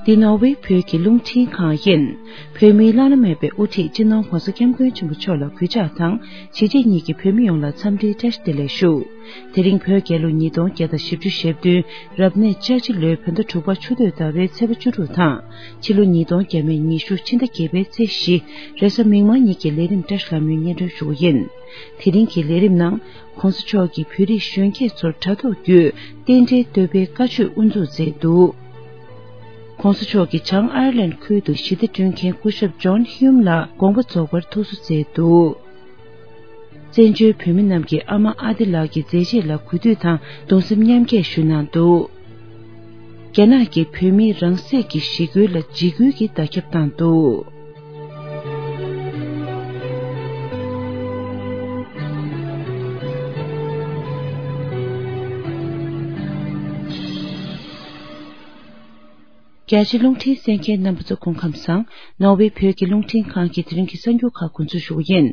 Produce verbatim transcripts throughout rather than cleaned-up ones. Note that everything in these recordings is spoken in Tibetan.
འདི་ནོར་ཝེ་བོད་ཀྱི་རླུང་འཕྲིན་ཁང་ཡིན། བོད་མིའི་བླ་ན་མེད་པའི་དབུ་ཁྲིད་སྤྱི་ནོར་༧གོང་ས་༧སྐྱབས་མགོན་ཆེན་པོ་མཆོག་ལ་གུས་ཕྱག་དང་། གཞིས་བྱེས་གཉིས་ཀྱི་བོད་མི་ཡོངས་ལ་འཚམས་འདྲིའི་བཀྲ་ཤིས་བདེ་ལེགས་ཞུ། དེ་རིང་བོད་རྒྱལ་ལོ་ཉིས་སྟོང་བརྒྱ་དང་བཞི་བཅུ་ཞེ་བདུན། རབ་གནས་ལྕགས་བྱི་ལོའི་བོད་ཟླ་དྲུག་པ་ཆུ་སྟོད་ཟླ་བའི་ཚེས་པ་བཅུ་དྲུག་དང་། ཕྱི་ལོ་ཉིས་སྟོང་བརྒྱ་མེད་ཉི་ཤུ་ཕྱི་ཟླ་བརྒྱད་པའི་ཚེས་བཞི། རེས་གཟའ་མིག་དམར་ཉིན་གྱི་ལས་རིམ་བཀྲ་ཤིས་ལྷ་མོའི་སྙན་སྒྲོན་ཞུ་བ་ཡིན། དེ་རིང་གི་ལས་རིམ་ནང་། ༧གོང་ས་མཆོག་གིས་བོད་རིགས་གཞོན་སྐྱེས་ཚོར་དྲ་ཐོག་བརྒྱུད་རྟེན་འབྲེལ་བསྟོད་པའི་བཀའ་ཆོས་དབུ་འཛུགས་མཛད་འདུག ༸གོང་ས་མཆོག་གིས་བྱང་ཨའེ་ལན་ཁུལ་དུ་ཞི་བདེ་བསྐྲུན་མཁན་སྐུ་ཞབས་ཇོན་ཧིའུམ་ལ་དགོངས་པ་རྫོགས་པར་ཐུགས་གསོ་མཛད་འདུག་བཙན་བྱོལ་བོད་མི་རྣམས་ཀྱི་ཨ་མ་ཨ་དེ་ལགས་ཀྱི་མཛད་རྗེས་ལ་གུས་འདུད་དང་གདུང་སེམས་མཉམ་སྐྱེད་ཞུ་གནང་འདུག་རྒྱ་ནག་གིས་བོད་མིའི་རང་སྲིད་ཀྱི་ཞི་རྒོལ་ལ་འཇིགས་སྐུལ་གྱི་བརྡ་ཁྱབ་བཏང་འདུག་རྒྱ་ཆེ་རླུང་འཕྲིན་གསན་མཁན་རྣམ་པ་ཚོ་སྐུ་ཁམས་བཟང་། ནོར་ཝེ་བོད་ཀྱི་རླུང་འཕྲིན་ཁང་གི་དེ་རིང་གི་གསར་འགྱུར་ཁག་འགོ་འཛུགས་ཞུ་བ་ཡིན།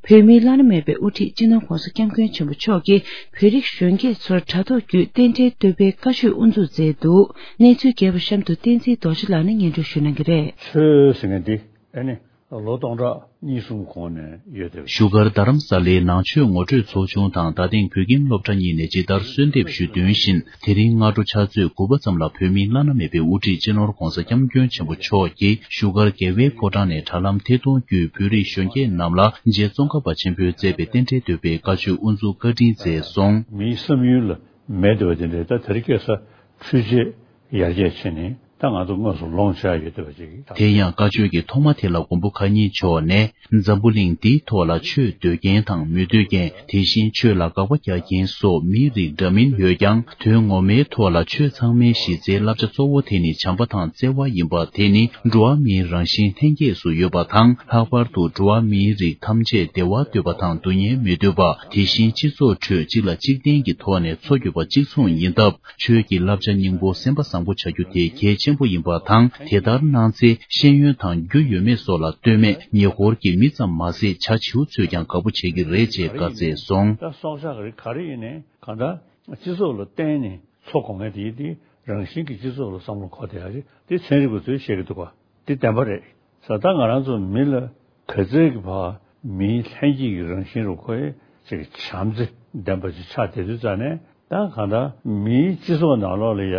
བོད་མིའི་བླ་ན་མེད་པའི་དབུ་ཁྲིད་སྤྱི་ནོར་༧གོང་ས་༧སྐྱབས་མགོན་ཆེན་པོ་མཆོག་གིས་བོད་རིགས་གཞོན་སྐྱེས་ཚོར་དྲ་ཐོག་བརྒྱུད་རྟེན་འབྲེལ་བསྟོད་པའི་བཀའ་ཆོས་དབུ་འཛུགས་མཛད་འདུག་གནས་ཚུལ་རྒྱས་པ་གཤམ་དུ་བསྟན་འཛིན་རྡོ་རྗེ་ལགས་ནས་སྙན་སྒྲོན་ཞུ་གནང་གི་རེད། ཆོས་ཟེར་མཁན་འདི་ཨ་ནི་ལོ་སྟོང་ཕྲག་གཉིས་གསུམ་གོང་ནས་ཡོད་དེ། བཞུགས་སྒར་རྡ་རམ་ས་ལའི་ནང་ཆོས་ངོ་སྤྲོད་ཚོགས་ཆུང་དང་རྡ་སྟེང་བོད་ཁྱིམ་སློབ་གྲྭ་གཉིས་ནས་ཇི་ལྟར་གསོལ་འདེབས་ཞུས་དོན་བཞིན། དེ་རིང་སྔ་དྲོ་ཕྱག་ཚོད་དགུ་པ་ཙམ་ལ་བོད་མིའི་བླ་ན་མེད་པའི་དབུ་ཁྲིད་སྤྱི་ནོར་༧གོང་ས་༧སྐྱབས་མགོན་ཆེན་པོ་མཆོག་གིས་བཞུགས་སྒར་རྒྱལ་བའི་ཕོ་བྲང་ནས་དྲ་ལམ་ཐད་གཏོང་བརྒྱུད་བོད་རིགས་གཞོན་སྐྱེས་རྣམས་ལ་རྗེ་ཙོང་ཁ་པ་ཆེན་པོས་མཛད་པའི་རྟེན་འབྲེལ་བསྟོད་པའི་བཀའ་ཆོས་དབུ་འཛུགས་བཀའ་དྲིན་སྩལ་སོང་། མིའི་བསམ་ཡུལ་ལ་མེད་འདོད་པ་དེ་འདྲའི་ད་དེ་རིང་ཁ་སང་འཕྲུལ་ཆས་ཡར་རྒྱས་ཕྱིན་ནས་ད་ང་ཚོ་དངོས་སུ་ལོངས་སྤྱད་ཡོད་བསྡད་པ་ཅིག་ཡིན། དེ་ཡང་བཀའ་ཆོས་ཀྱི་ཐོག་མ་དེ་ལ་མགོན་པོ་མཁའ་ཉིད་མཆོག་ནས། འཛམ་བུ་གླིང་འདིའི་ཐོག་ལ་ཆོས་འདོད་མཁན་དང་མི་འདོད་མཁན། དེ་བཞིན་ཆོས་ལ་དགག་པ་རྒྱག་མཁན་སོགས་མིའི་རིགས་འདྲ་མིན་ཡོད་ཀྱང་། དོན་ངོ་མའི་ཐོག་ལ་ཆོས་ཚང་མའི་གཞི་རྩའི་བསླབ་བྱ་གཙོ་བོ་དེ་ནི་བྱམས་པ་དང་བརྩེ་བ་ཡིན་པ། དེ་ནི་འགྲོ་བ་མིའི་རང་བཞིན་ལྷན་སྐྱེས་སུ་ཡོད་པ་དང་། ལྷག་པར་དུ་འགྲོ་བ་མིའི་རིགས་ཐམས་ཅད་བདེ་བ་འདོད་པ་དང་སྡུག་བསྔལ་མི་འདོད་པ། དེ་བཞིན་སྤྱི་ཚོགས་ཁྲོད་གཅིག་ལ་གཅིག་བརྟེན་གྱི་ཐོག་ནས་འཚོ་དགོས་པ་གཅིག་མཚུངས་ཡིན་སྟབས། ཆོས་ཀྱི་བསླབ་བྱ་སྙིང་པོ་སེམས་པ་བཟང་པོ་བྱ་རྒྱུ་དེ་གལ་ཆེན་པོ་ཡིན་པ་དང་། དེ་ལྟར་གནང་ཚེ་ཤེས་ཡོན་དང་རྒྱུ་ཡོད་མེད་སོགས་ལ་ལྟོས་མེད་ཉེ་འཁོར་གྱི་མི་ཙམ་མ་ཟད་བྱ་བྱིའུ་ཚོས་ཀྱང་དགའ་པོ་བྱེད་ཀྱི་རེད་ཅེས་བཀའ་སྩལ་སོང་། ད་སྲོག་ཆགས་རིགས་ག་རེ་ཡིན་ནའི་གང་ལྟར་སྤྱི་ཚོགས་ལ་བརྟེན་ནས་འཚོ་དགོས་ངེས་དེ་ཡིན་ཏེ། རང་བཞིན་གྱི་སྤྱི་ཚོགས་ལ་བསམ་བློ་འཁོར་བསྡད་ཡག་ཅིག་དེ་ཚན་རིག་པ་ཚོས་བཤད་ཀྱི་འདུག་ག་དེ་བདེན་པ་རེད། ས་ད་ང་རང་ཚོ་མི་ལ་ག་ཚད་ཀྱི་བར་མིའི་ལྷན་སྐྱེས་ཀྱི་རང་བཞིན་རུ་ཁོ་ཡི་ཅིག་བྱམས་བརྩེ་ལྡན་པ་ཅིག་ཆགས་བསྡད་དུས་ཙང་ནས། ད་གང་ལྟར་མིའི་སྤྱི་ཚོགས་ནང་ལོགས་ལ་ཡ་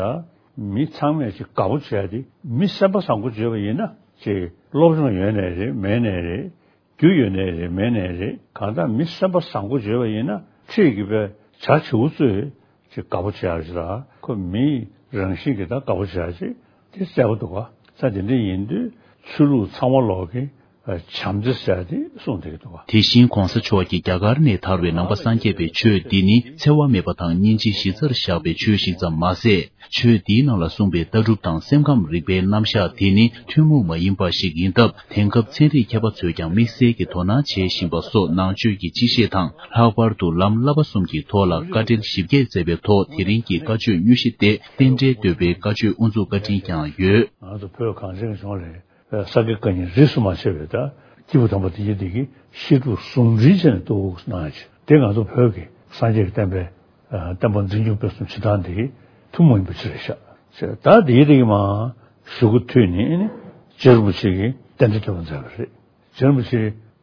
མི་ཚང་མས་ཅིག་དགའ་པོ་བྱས་ཏེ། མི་སེམས་པ་བཟང་པོ་བྱས་པ་ཡིན་ན་ཅིག་སློབ་སྦྱོང་ཡོད་ནའི་རེད། མེད་ནའི་རེད། རྒྱུ་ཡོད་ནའི་རེད། མེད་ནའི་རེད། གང་ལྟར་མི་སེམས་པ་བཟང་པོ་བྱས་པ་ཡིན་ན་ཁྲིད་ཀྱི་པའི་བྱ་བྱིའུ་ཚོས་ཅིག་དགའ་པོ་བྱེད་ཡག་ཅིག་དང་། ཁོ་མིའི་རང་བཞིན་གྱི་ད་དགའ་པོ་བྱེད་ཡག་ཅིག་དེ་གསལ་པོ་འདུག་ག་ས་དེ་འདྲ་ཡིན་དུས་ཆོས་ལུགས་ཚང་མ་ལོག་གི་བྱམས་བརྩེ་ཟེར་ཡག་དེ་གསུངས་བསྡད་ཀྱི་འདུག་ག་དེ་བཞིན་གོང་ས་མཆོག་གིས་རྒྱ་གར་ནས་དར་བའི་ནང་པ་སངས་རྒྱས་པའི་ཆོས་འདི་ནི་འཚེ་བ་མེད་པ་དང་སྙིང་རྗེ་གཞི་རྩར་བཞག་པའི་ཆོས་ཤིག་ཙམ་མ་ཟད། ཆོས་འདིའི་ནང་ལ་གསུངས་པའི་ལྟ་གྲུབ་དང་སེམས་ཁམས་རིག་པའི་རྣམ་གཞག་དེ་ནི་ཐུན་མོང་མ་ཡིན་པ་ཞིག་ཡིན་སྟབས། དེང་སྐབས་ཚན་རིག་མཁས་པ་ཚོས་ཀྱང་དམིགས་བསལ་གྱིས་དོ་སྣང་བྱེད་བཞིན་པ་སོགས་ནང་ཆོས་ཀྱི་སྤྱི་བཤད་དང་། ལྷག་པར་དུ་ལམ་བསླབ་པ་གསུམ་གྱི་ཐོག་ལ་བཀའ་འགྲེལ་ཞིབ་རྒྱས་མཛད་པའི་ཐོག་དེ་རིང་གི་བཀའ་ཆོས་དངོས་གཞི་སྟེ་རྟེན་འབྲེལ་བསྟོད་པའི་བཀའ་ཆོས་དབུ་འཛུགས་བཀའ་དྲིན་ཀྱང་ཡོད། ང་ཚོ་བོད་གངས་ཅན་གྱི་ལྗོངས་ལ་ས་དགེ་བཀའ་རྙིང་རིས་སུ་མ་ཆད་པའི་ད་སྐྱེས་བུ་དམ་པ་དེ་ཉིད་དེ་གི་བཤད་སྒྲུབ་ཟུང་འབྲེལ་བྱས་ནས་གཏོར་གནང་ཡག་ཅིག་དེ་ང་ཚོ་བོད་ཀྱི་སངས་རྒྱས་ཀྱི་བསྟན་པའི་བསྟན་པ་འཛིན་སྐྱོང་སྤེལ་གསུམ་བྱེད་སྟངས་དེ་ཐུན་མོང་ཡིན་པ་ཅིག་རེད་ཤག་ད་དེའི་རིགས་མ་གཞུག་གུ་མཐུད་ནས་རྗེ་རིན་པོ་ཆེ་གིས་རྟེན་འབྲེལ་བསྟོད་པ་མཛད་པ་རེད། རྗེ་རིན་པོ་ཆེ་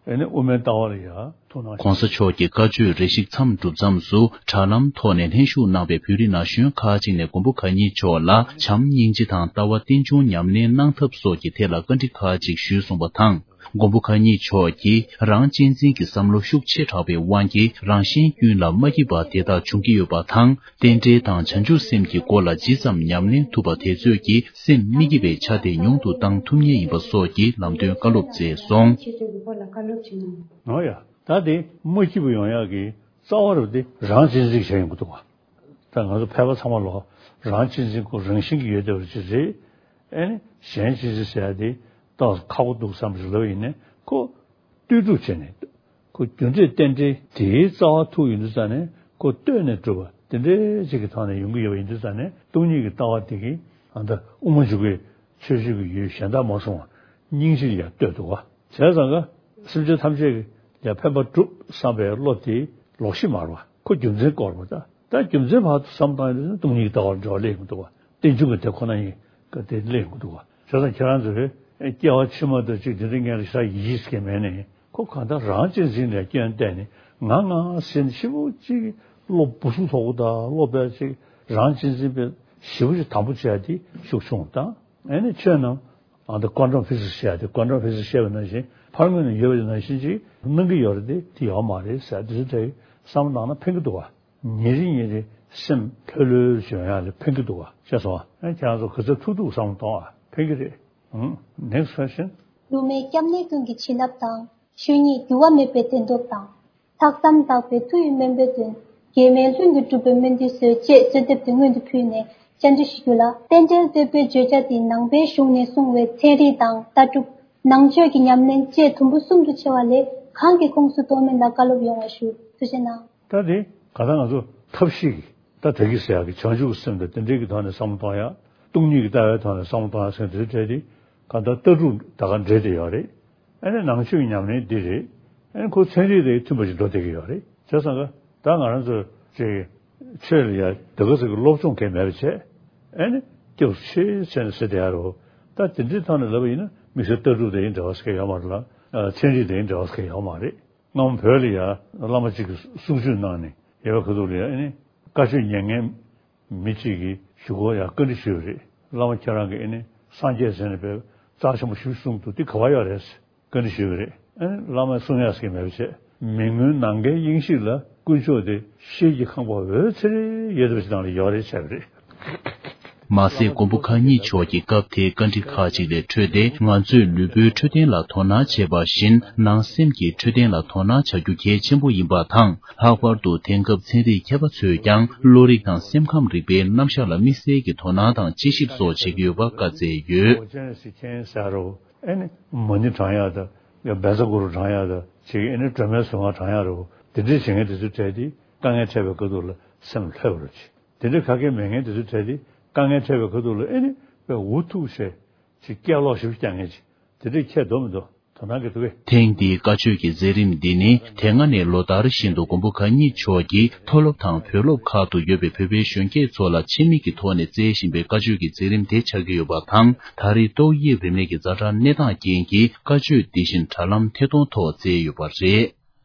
དབུ་མའི་ལྟ་བ་ལ་ཡང་ཐུགས་སྣང་། གོང་ས་མཆོག་གི་བཀའ་ཆོས་རེ་ཞིག་མཚམས་གྲུབ་མཚམས་སུ་དྲ་ལམ་ཐོག་ནས་ལྷན་ཞུགས་གནང་པའི་བོད་རིགས་ན་གཞོན་ཁག་ཅིག་ནས་མགོན་པོ་མཁའ་ཉིད་མཆོག་ལ་བྱམས་སྙིང་རྗེ་དང་ལྟ་བ་རྟེན་འབྱུང་ཉམས་ལེན་གནང་ཐབས་སོགས་ཀྱི་ཐད་ལ་བཀའ་འདྲི་ཁག་ཅིག་ཞུས་སོང་བ་དང་། མགོན་པོ་མཁའ་ཉིད་མཆོག་གིས་རང་གཅེས་འཛིན་གྱི་བསམ་བློ་ཤུགས་ཆེ་དྲགས་པའི་དབང་གིས་རང་གཞན་ཀུན་ལ་མ་སྐྱིད་པ་དེ་དག་འབྱུང་གི་ཡོད་པ་དང་། རྟེན་འབྲེལ་དང་བྱང་ཆུབ་སེམས་ཀྱི་སྐོར་ལ་ཇི་ཙམ་ཉམས་ལེན་ཐུབ་པ་དེ་ཚོས་ཀྱིས་སེམས་མི་སྐྱིད་པའི་ཆ་དེ་ཉུང་དུ་བཏང་ཐུབ་ངེས་ཡིན་པ་སོགས་ཀྱི་ལམ་སྟོན་བཀའ་སློབ་སྩལ་སོང་། ཁྱེད་ཚོའི་ལུས་པོ་ལ་བཀའ་སློབ་ཅིག་གནང་། འོ་ཡ། ད་དེ་མ་སྐྱིད་པ་ཡོང་ཡག་གི་རྩ་བ་རུ་དེ་རང་གཅེས་འཛིན་བྱས་ཡོང་གི་འདུག་བ། ད་ང་ཚོ་ཕལ་པ་ཚང་མ་ལོ་རང་གཅེས་འཛིན་ཁོ་རང་བཞིན་གྱི་ཡོད་བསྡད་པ་ཅིག་རེད། ཨེ་ནི་གཞན་གཅེས་འཛིན་ཟེར་ཡ་དེ་ཏོག་ཙམ་ཁག་པོ་འདུག་བསམ་པ་ཞིག་ལབ་ཡིན་ནའི་ཁོ་ལྟོས་གྲུབ་བྱས་ནས་ཁོ་རྒྱུ་འབྲས་རྟེན་འབྲེལ་དེའི་རྩ་བ་ཐུག་ཡོང་དུས་ཙང་ནས་ཁོ་ལྟོས་ནས་གྲུབ་པ་དེ་འདྲའི་ཅིག་གི་ཐོག་ནས་ཡོང་གི་ཡོད་པ་ཡིན་དུས་ཙང་ནས་སྟོང་ཉིད་ཀྱི་ལྟ་བ་དེ་གིས་ཨ་ད་དབུ་མ་འཇུག་པའི་ཆོས་སྤྱོད་ཀྱི་ཡུལ་གཞན་དག་མ་སོང་བ་སྙིང་རྗེ་ལ་ཡང་ལྟོས་འདུག་བ། བྱས་ཙང་ཀ་སེམས་ཅན་ཐམས་ཅད་ཀྱི་ཡང་ཕན་པ་སྒྲུབ་བསམ་པའི་བློ་དེ་ལོག་ཤེས་མ་རེད་བ། ཁོ་རྒྱུ་མཚན་སྐོར་བ་ད། ད་རྒྱུ་མཚན་བར་དུ་བསམ་བཏང་ཡོང་དུས་སྟོང་ཉིད་ཀྱི་ལྟ་བར་འགྲོ་བ་སླེབས་མི་འདུག་བ། རྟེན་འབྱུང་གི་དེ་ཁོ་ན་ཡིན། ག་དེ་གླེང་གི་འདུག་བ། བྱས་ཙང་ཁྱེད་རང་ཚོས་སྐྱེ་བ་ཕྱི་མ་དང་གཅིག་དེ་འདྲའི་ངན་ལ་ཤ་ཡིད་ཀྱི་མེད་ནས་ཁོ་གང་ལྟར་རང་གཅེས་འཛིན་ལས་སྐྱོན་བལྟས་ནས་ང་ང་ཟེར་ནས་ཤི་བོ་གཅིག་བློ་སྦུ་སུ་ཐོག་གུ་དང་བློ་བེ་གཅིག་རང་གཅེས་འཛིན་པའི་ཞི་བོ་ཞིག་དམ་པོ་བྱས་ཏེ་ཤུགས་ཆུང་དང་ཨེ་ནི་ཆོས་རྣམས་ཨ་ད་ཀོན་ཊམ་ཕི་སིག་སི་བཤད་དེ་ཀོན་ཊམ་ཕི་སིག་སི་བཤད་པ་ནང་བཞིན་ཕར་ངོས་ནས་ཡོད་པ་ནང་བཞིན་ཅིག་གནང་གི་ཡོད་རེད་དེ་དེ་ཡོད་མ་རེད་ཟེར་དེ་ཚོ་དེ་བསམ་བློ་བཏང་ན་ཕན་གི་འདུག་བ། ཉིན་རེ་ཉིན་རེ་སེམས་ལྷོད་ལྷོད་བྱུང་ཡག་ལ་ཕན་གི་འདུག་བ་ཤེས་སོང་ཨ། ཁྱེད་རང་ཚོ་ག་ཚོད་ཐུག་ཐུག་བསམ་བློ་གཏོང་ཨ་ཕན་གི་རེད། ཨང་། next question། སློབ་མའི་སྐྱབས་གནས་ཀུན་གྱི་བྱིན་རླབས་དང་། ཆོས་ཉིད་འགྱུར་བ་མེད་པའི་བདེན་སྟོབས་དང་། ལྷག་བསམ་དག་པའི་མཐུ་ཡིས་དམན་པའི་དོན། རྒྱལ་མེད་ལྷུན་གྱིས་གྲུབ་པའི་སྨོན་འདུན་གསོལ་ཅེས་གསོལ་འདེབས་དེ་སྔོན་དུ་ཕུལ་ནས་བཅར་འདྲི་ཞུ་རྒྱུ་ལ། རྟེན་འབྲེལ་བསྟོད་པའི་བརྗོད་བྱ་དེ་ནང་པའི་གཞུང་ནས་གསུངས་པའི་ཚན་རིག་དང་ལྟ་གྲུབ། ནང་ཆོས་ཀྱི་ཉམས་ལེན་བཅས་དུམ་བུ་གསུམ་དུ་ཕྱེ་བ་ལས་གང་གི་ཁོངས་སུ་གཏོགས་མིན་ལ་བཀའ་སློབ་ཡོང་བ་ཞུ། ཐུགས་རྗེ་གནང་། ད་དེ་ག་ད་ང་ཚོ་ཐབས་ཤེས་ཀྱིས་ད་དེ་གི་ཟེར་ཡག་གི་བྱང་ཆུབ་ཀྱི་སེམས་དང་དེ་འདྲའི་གི་ཐོག་ནས་བསམ་བློ་གཏོང་ཡག་སྟོང་ཉིད་ཀྱི་ལྟ་བའི་ཐོག་ནས་བསམ་བློ་གཏོང་ཡག་ཟེར་དེ་འདྲའི་གྲས་དེ་ག་ད་ལྟ་གྲུབ་ད་ག་འདྲེས་བསྡད་ཡོད་རེད། ཨ་ནི་ནང་ཆོས་ཀྱི་ཉམས་ལེན་འདི་རེད། ཨ་ནི་ཁོ་ཚན་རིག་དང་མཐུན་པ་ཞིག་འགྲོ་བསྡད་ཀྱི་ཡོད་རེད། བྱས་ཙང་ཀ་ད་ང་རང་ཚོ་ཅིག་ཆོས་ལ་ཡ་དེ་ག་ཚོད་ཀྱི་སློབ་སྦྱོང་གལ་མེད་པ་བྱས། ཨ་ནི་སྐྱབས་སུ་མཆི་ཟེར་ནས་ཟེར་བསྡད་ཡ་རེད། ད་དེ་འདྲའི་ཐོག་ནས་ལབ་པ་ཡིན་ན་དམིགས་བསལ་ལྟ་གྲུབ་དང་ཡིན་འབྲེལ་བ་ཟེར་མཁན་ཡོད་མ་རེད་ལ། ཚན་རིག་དང་ཡིན་འབྲེལ་བ་ཟེར་མཁན་ཡོད་མ་རེད། སྔ་མོ་བོད་ལ་ཡ་བླ་མ་གཅིག་གིས་གསུང་ཆོས་གནང་ནས་ཡོད་པའི་ཁ་ཐུག་ལ་ཡ་ཨ་ནི་བཀའ་ཆོས་ཉན་མཁན་མི་གཅིག་གིས་གཞུག་གུ་ཡ་བཀའ་འདྲི་ཞུས་པ་རེད། བླ་མ་ཁྱེད་རང་གིས་ཨ་ནི་སངས་རྒྱས་ཟེར་ནས་བས་རྩ་ཆེན་པོ་ཞིག་གསུངས་འདུག་དེ་ག་བ་ཡོད་རེད། བཀའ་འདྲི་ཞུས་པ་རེད། ཨ་ནི་བླ་མས་གསུང་ཡག་ཟེར་གྱི་མེད་པ་བྱས། མི་མངོན་ནམ་མཁའི་དབྱིངས་ཤིག་ལ། དཀོན་མཆོག་དེ་ཤེལ་གྱི་ཁང་པ་འོད་ཚེར་ཡོད་པ་ཞིག་ནང་ལ་ཡོད་རེད་བྱས་པ་རེད། མ་ཟད་མགོན་པོ་མཁའ་འགྱུར་མཆོག་གིས་སྐབས་དེའི་བཀའ་འདྲི་ཁག་ཅིག་ལས་འཕྲོས་ཏེ་ང་ཚོས་ལུས་པོའི་འཕྲོད་བསྟེན་ལ་དོ་སྣང་བྱེད་པ་བཞིན་ནང་སེམས་ཀྱི་འཕྲོད་བསྟེན་ལ་དོ་སྣང་བྱ་རྒྱུ་གལ་ཆེན་པོ་ཡིན་པ་དང་། ལྷག་པར་དུ་དེང་སྐབས་ཚན་རིག་མཁས་པ་ཚོས་ཀྱང་བློ་རིག་དང་སེམས་ཁམས་རིག་པའི་རྣམ་གཞག་ལ་དམིགས་བསལ་གྱི་དོ་སྣང་དང་དཔྱད་ཞིབ་སོགས་བྱེད་ཀྱི་ཡོད་པ་བཀའ་སྩལ་ཡོད། ཨེ་ནི་མ་ཎི་བགྲང་ཡག་དང་བཛྲ་གུ་རུ་བགྲང་ཡག་དང་ཅིག་ཨེ་ནི་སྒྲོལ་མའི་གཟུངས་སྔགས་བགྲང་ཡག་རེད། དེ་འདྲའི་བྱེད་མཁན་དེ་ཚོའི་གྲས་དེ་དཀའ་ངལ་འཕྲད་པའི་ཁ་ཐུག་ལ་སེམས་ལྷོད་པ་རེད་ཅིག་དེ་འདྲའི་ག་གེ་མེད་མཁན་དེ་ཚོའི་གྲས་དེ་དཀའ་ངལ་འཕྲད་པའི་ཁ་ཐུག་ལ་ཨེ་ནི་དཔེ་འུ་ཐུག་བྱས་ཅིག་སྐད་ལོག་ཞིབ་རྒྱག་མཁན་ཅིག་དེ་འདྲའི་ཁྱད་འདུག་མི་འདུག་དོ་སྣང་གི་འདུག་གས། ཐེངས་འདིའི་བཀའ་ཆོས་ཀྱི་མཛད་རིམ་འདི་ནི་དེ་སྔ་ནས་ལོ་ལྟར་བཞིན་དུ་མགོན་པོ་གང་ཉིད་མཆོག་གིས་མཐོ་སློབ་དང་བོད་སློབ་ཁག་ཏུ་ཡོད་པའི་བོད་པའི་གཞོན་སྐྱེས་ཚོ་ལ་ཆེད་དམིགས་ཀྱི་ཐོག་ནས་སྩལ་བཞིན་པའི་བཀའ་ཆོས་ཀྱི་མཛད་རིམ་དེ་ཆགས་ཀྱི་ཡོད་པ་དང་། ད་རེས་ཏོག་དབྱིབས་རིམས་ནད་ཀྱི་ཛ་དྲག་གནས་སྟངས་རྐྱེན་གྱིས་བཀའ་ཆོས་འདི་བཞིན་དྲ་ལམ་ཐད་གཏོང་ཐོག་སྩལ་ཡོད་པ་རེད།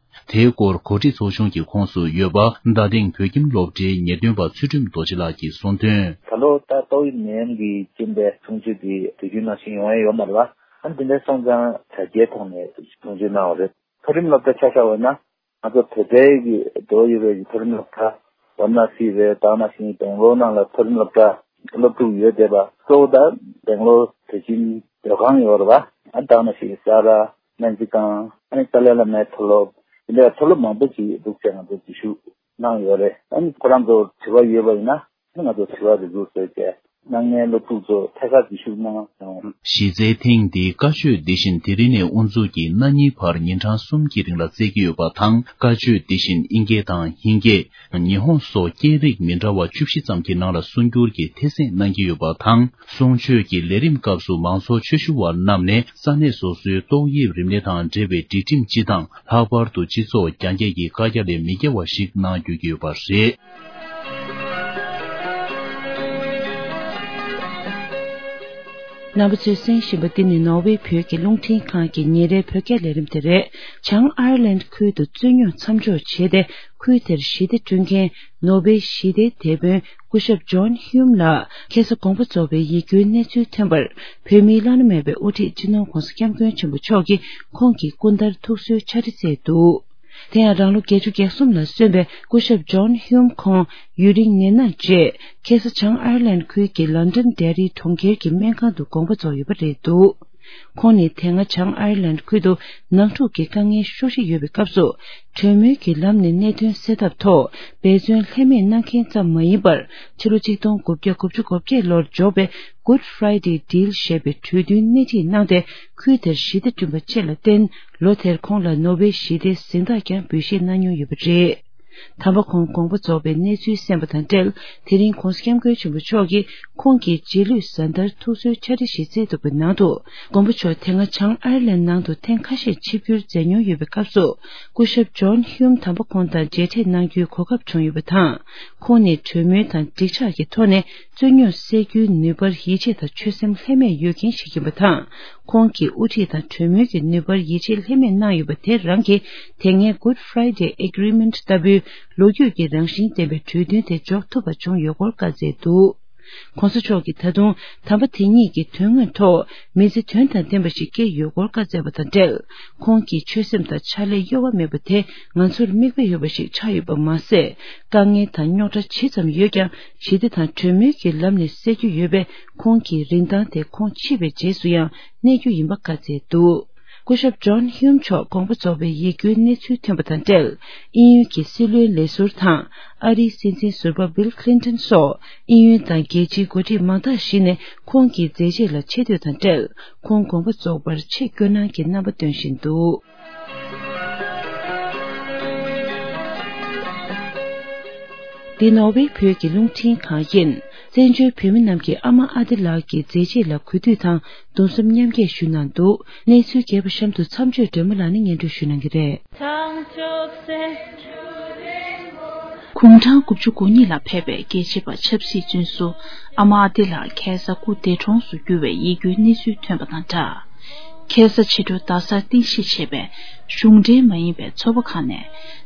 དེའི་སྐོར་གོ་སྒྲིག་ཚོགས་ཆུང་གི་ཁོངས་སུ་ཡོད་པ་རྡ་སྟེང་བོད་ཁྱིམ་སློབ་གྲྭའི་ངེས་སྟོན་པ་ཚུལ་ཁྲིམས་རྡོ་རྗེ་ལགས་ཀྱིས་གསུངས་དོན། ད་ལོ་ད་ཏོག་དབྱིབས་ནད་ཡམས་ཀྱི་རྐྱེན་པས་གསུང་ཆོས་འདི་དུས་རྒྱུན་ནང་བཞིན་ཡོང་ཡ་ཡོད་མ་རེད་པ། ཨ་ནི་དེ་འདྲ་སོང་ཙང་དྲ་རྒྱའི་ཐོག་ནས་གསུང་ཆོས་གནང་བ་རེད། མཐོ་རིམ་སློབ་གྲྭ་ཆ་བཞག་པ་ཡིན་ན་ང་ཚོ་བོད་པའི་གི་འགྲོ་ཡོད་པའི་གི་མཐོ་རིམ་སློབ་གྲྭ་ཝཱ་ར་ཎ་སི་རེད། ད་ག་ནང་བཞིན་སྦེང་ལོར་ནང་ལ་མཐོ་རིམ་སློབ་གྲྭ་སློབ་ཕྲུག་ཡོད་བསྡད་པ་གཙོ་བོ་ད་སྦེང་ལོར་བོད་ཁྱིམ་སྡོད་ཁང་ཡོད་རེད་པ། ཨ་ནི་ད་ག་ནང་བཞིན་ས་ར། སྨན་རྩིས་ཁང་། ཨ་ནི་ཏཱ་ལའི་བླ་མའི་མཐོ་སློབ། དེ་འདྲའི་མཐོ་སློབ་མང་པོ་ཞིག་འདུག་ཟེར་ང་ཚོ་འཛུལ་ཞུགས་གནང་ཡོད་རེད། ཨ་ནི་ཁོ་རང་ཚོར་དྲི་བ་ཡོད་པ་ཡིན་ན་ཨ་ནི་ང་ཚོར་དྲི་བ་རེ་ཟུང་བཟོས་བྱས་གནང་མཁན་སློབ་ཕྲུག་ཚོ་ཐད་ཀར་འཛུལ་ཞུགས་གནང་ཡོང་། གཞི་རྩའི་ཐེངས་འདིའི་བཀའ་ཆོས་འདི་བཞིན་དེ་རིང་ནས་དབུ་འཛུགས་ཀྱིས་གནངས་ཉིན་བར་ཉིན་གྲངས་གསུམ་གྱི་རིང་ལ་སྩལ་གྱི་ཡོད་པ་དང་། བཀའ་ཆོས་འདི་བཞིན་དབྱིན་སྐད་དང་ཧིན་སྐད། ཉི་ཧོང་སོགས་སྐད་རིགས་མི་འདྲ་བ་བཅུ་བཞི་ཙམ་གྱི་ནང་ལ་གསུང་སྒྱུར་གྱིས་ཐད་གསན་གནང་གི་ཡོད་པ་དང་། གསུང་ཆོས་ཀྱི་ལས་རིམ་སྐབས་སུ་མང་ཚོགས་ཆོས་ཞུ་བ་རྣམས་ནས་ས་གནས་སོ་སོའི་ཏོག་དབྱིབས་རིམས་ནད་དང་འབྲེལ་བའི་སྒྲིག་ཁྲིམས་སྤྱི་དང་། ལྷག་པར་དུ་སྤྱི་ཚོགས་རྒྱང་བཀྱེད་ཀྱི་བཀའ་རྒྱ་ལས་མི་འགལ་བ་ཞིག་གནང་དགོས་ཀྱི་ཡོད་པ་རེད། རྣམ་པ་ཚོས་གསན་བཞིན་པ་འདི་ནི་ནོར་ཝེ་བོད་ཀྱི་རླུང་འཕྲིན་ཁང་གི་ཉིན་རེའི་བོད་སྐད་ལས་རིམ་དེ་རེད། བྱང་ཨའེ་ལན་ཁུལ་དུ་རྩོད་རྙོག་མཚམས་འཇོག་བྱས་ཏེ། ཁུལ་དེར་ཞི་བདེ་བསྐྲུན་མཁན་ནོ་བེལ་ཞི་བདེའི་དེད་དཔོན་སྐུ་ཞབས་ཇོན་ཧིའུམ་ལགས་ཁ་སང་དགོངས་པ་རྫོགས་པའི་ཡིད་སྐྱོའི་གནས་ཚུལ་ཐོན་པར། བོད་མིའི་བླ་ན་མེད་པའི་དབུ་ཁྲིད་སྤྱི་ནོར་༧གོང་ས་༧སྐྱབས་མགོན་ཆེན་པོ་མཆོག་གིས་ཁོང་གི་སྐུ་ཟླར་ཐུགས་གསོའི་ཕྱག་བྲིས་བསྩལ་འདུག་དེ་ཡང་རང་ལོ་བརྒྱད་ཅུ་གྱ་གསུམ་ལ་སོན་པའི་སྐུ་ཞབས་ཇོན་ཧིའུམ་ཁོང་ཡུན་རིང་ནད་མནར་རྗེས། ཁ་སང་བྱང་ཨའེ་ལན་ཁུལ་གྱི་ལན་ཌན་ཌེ་རི་གྲོང་ཁྱེར་གྱི་སྨན་ཁང་དུ་དགོངས་པ་རྫོགས་ཡོད་པ་རེད་འདུག་ཁོང་ནི་དེ་སྔ་བྱང་ཨའེ་ལན་ཁུལ་དུ་ནང་འཁྲུག་གི་དཀའ་ངལ་ཤུགས་ཆེ་ཡོད་པའི་སྐབས་སུ། གྲོས་མོལ་གྱི་ལམ་ནས་གནད་དོན་སེལ་ཐབས་ཐོག་འབད་བརྩོན་ལྷད་མེད་གནང་མཁན་ཙམ་མ་ཡིན་པར། ཕྱི་ལོ་ཆིག་སྟོང་དགུ་བརྒྱ་དགུ་བཅུ་གོ་བརྒྱད་ལོར་འབྱོར་བའི་Good Friday Deal ཞེས་པའི་གྲོས་མཐུན་སྣེ་ཁྲིད་གནང་སྟེ། ཁུལ་དེར་ཞི་བདེ་བསྐྲུན་པ་བཅས་ལ་བརྟེན། ལོ་དེར་ཁོང་ལ་ནོ་བེལ་ཞི་བདེའི་གཟེངས་རྟགས་ཀྱང་འབུལ་བཞེས་གནང་མྱོང་ཡོད་པ་རེད། དམ་པ་ཁོང་དགོངས་པ་རྫོགས་པའི་གནས་ཚུལ་གསན་པ་དང་འབྲེལ། དེ་རིང་༸གོང་ས་༸སྐྱབས་མགོན་ཆེན་པོ་མཆོག་གིས་ཁོང་གི་རྗེས་ལུས་གཟའ་ཟླར་ཐུགས་གསོའི་ཕྱག་བྲིས་ཤིག་བསྩལ་འདུག་པའི་ནང་དུ། མགོན་པོ་མཆོག་དེ་སྔ་བྱང་ཨར་ལན་ནང་དུ་ཐེངས་ཁ་ཤས་ཆིབས་བསྒྱུར་མཛད་མྱོང་ཡོད་པའི་སྐབས་སུ། སྐུ་ཞབས་ཇོན་ཧིའུམ་དམ་པ་ཁོང་དང་མཇལ་འཕྲད་གནང་རྒྱུའི་གོ་སྐབས་བྱུང་ཡོད་པ་དང་། ཁོང་ནས་གྲོས་མོལ་དང་འགྲིག་ཆགས་ཀྱི་ཐོག་ནས་རྩོད་རྙོག་སེལ་རྒྱུའི་ནུས་པར་ཡིད་ཆེས་དང་ཆོད་སེམས་ལྷད་མེད་ཡོད་མཁན་ཞིག་ཡིན་པ་དང་། ཁོང་གིས་དབུ་ཁྲིད་དང་གྲོས་མོལ་གྱི་ནུས་པར་ཡིད་ཆེས་ལྷད་མེད་གནང་ཡོད་པ་དེ་རང་གིས་དེ་སྔའི་Good Friday Agreement ལྟ་བུའི་ལོ་རྒྱུས་ཀྱི་རང་བཞིན་ལྡན་པའི་གྲོས་མཐུན་དེ་འཇོག་ཐུབ་པ་བྱུང་ཡོད་སྐོར་བཀའ་སྩལ་འདུག། ༸གོང་ས་མཆོག་གིས་ད་དུང་དམ་པ་དེ་ཉིད་ཀྱི་དོན་དངོས་ཐོག་མི་ཚེ་དོན་དང་ལྡན་པ་ཞིག་སྐྱེལ་ཡོད་སྐོར་བཀའ་སྩལ་བ་དང་འབྲེལ། ཁོང་གི་ཆོད་སེམས་དང་ཕྱག་ལས་གཡོ་བ་མེད་པ་དེ་ང་ཚོར་མིག་དཔེ་ཡོད་པ་ཞིག་ཆགས་ཡོད་པ་མ་ཟད། དཀའ་ངལ་དང་རྙོག་དྲ་ཇི་ཙམ་ཡོད་ཀྱང་ཞི་བདེ་དང་གྲོས་མོལ་གྱི་ལམ་ནས་སེལ་རྒྱུ་ཡོད་པས། ཁོང་གི་རིན་ཐང་དེ་ཁོང་འཆི་བའི་རྗེས་སུ་ཡང་གནས་རྒྱུ་ཡིན་པ་བཀའ་སྩལ་འདུག། སྐུ་ཞབས་ཇོན་ཧིའུམ་མཆོག་དགོངས་པ་རྫོགས་པའི་ཡིད་སྐྱོའི་གནས་ཚུལ་ཐོན་པ་དང་འབྲེལ། དབྱིན་ཡུལ་གྱི་སྲིད་བློན་ལས་ཟུར་དང་། ཨ་རིའི་སྲིད་འཛིན་ཟུར་པ་བྷིལ་ཁི་ལིན་ཏོན་སོགས་དབྱིན་ཡུལ་དང་རྒྱལ་སྤྱིའི་འགོ་ཁྲིད་མང་དག་ཞིག་ནས་ཁོང་གི་མཛད་རྗེས་ལ་ཆེ་བསྟོད་དང་འབྲེལ། ཁོང་དགོངས་པ་རྫོགས་པར་ཆེད་བསྐྱོད་གནང་གི་རྣམ་པ་སྟོན་བཞིན་འདུག། འདི་ནོར་ཝེ་བོད་ཀྱི་རླུང་འཕྲིན་ཁང་ཡིན། བཙན་བྱོལ་བོད་མི་རྣམས་ཀྱིས་ཨ་མ་ཨ་ཏི་ལགས་ཀྱི་མཛད་རྗེས་ལ་གུས་འདུད་དང་གདུང་སེམས་མཉམ་སྐྱེད་ཞུ་གནང་འདུག། གནས་ཚུལ་རྒྱས་པ་གཤམ་དུ་མཚམས་གཅོད་སྒྲོལ་མ་ལགས་ནས་སྙན་སྒྲོན་ཞུ་གནང་གི་རེད། དགུང་གྲངས་དགུ་བཅུ་གོ་གཉིས་ལ་ཕེབས་པའི་རྒྱལ་གཅེས་པ་ཆབ་སྲིད་བཙོན་ཟུར་ཨ་མ་ཨ་ཏི་ལགས་ཁ་སང་སྐུ་འདས་གྲོངས་སུ་གྱུར་བའི་ཡིད་སྐྱོའི་གནས་ཚུལ་ཐོན་པ་དང་སྦྲགས། ཁ་སང་ཕྱི་དྲོ་རྡ་སར་རྟེན་གཞི་བྱས་པའི་གཞུང་འབྲེལ་མ་ཡིན་པའི་ཚོགས་པ་ཁག་ནས་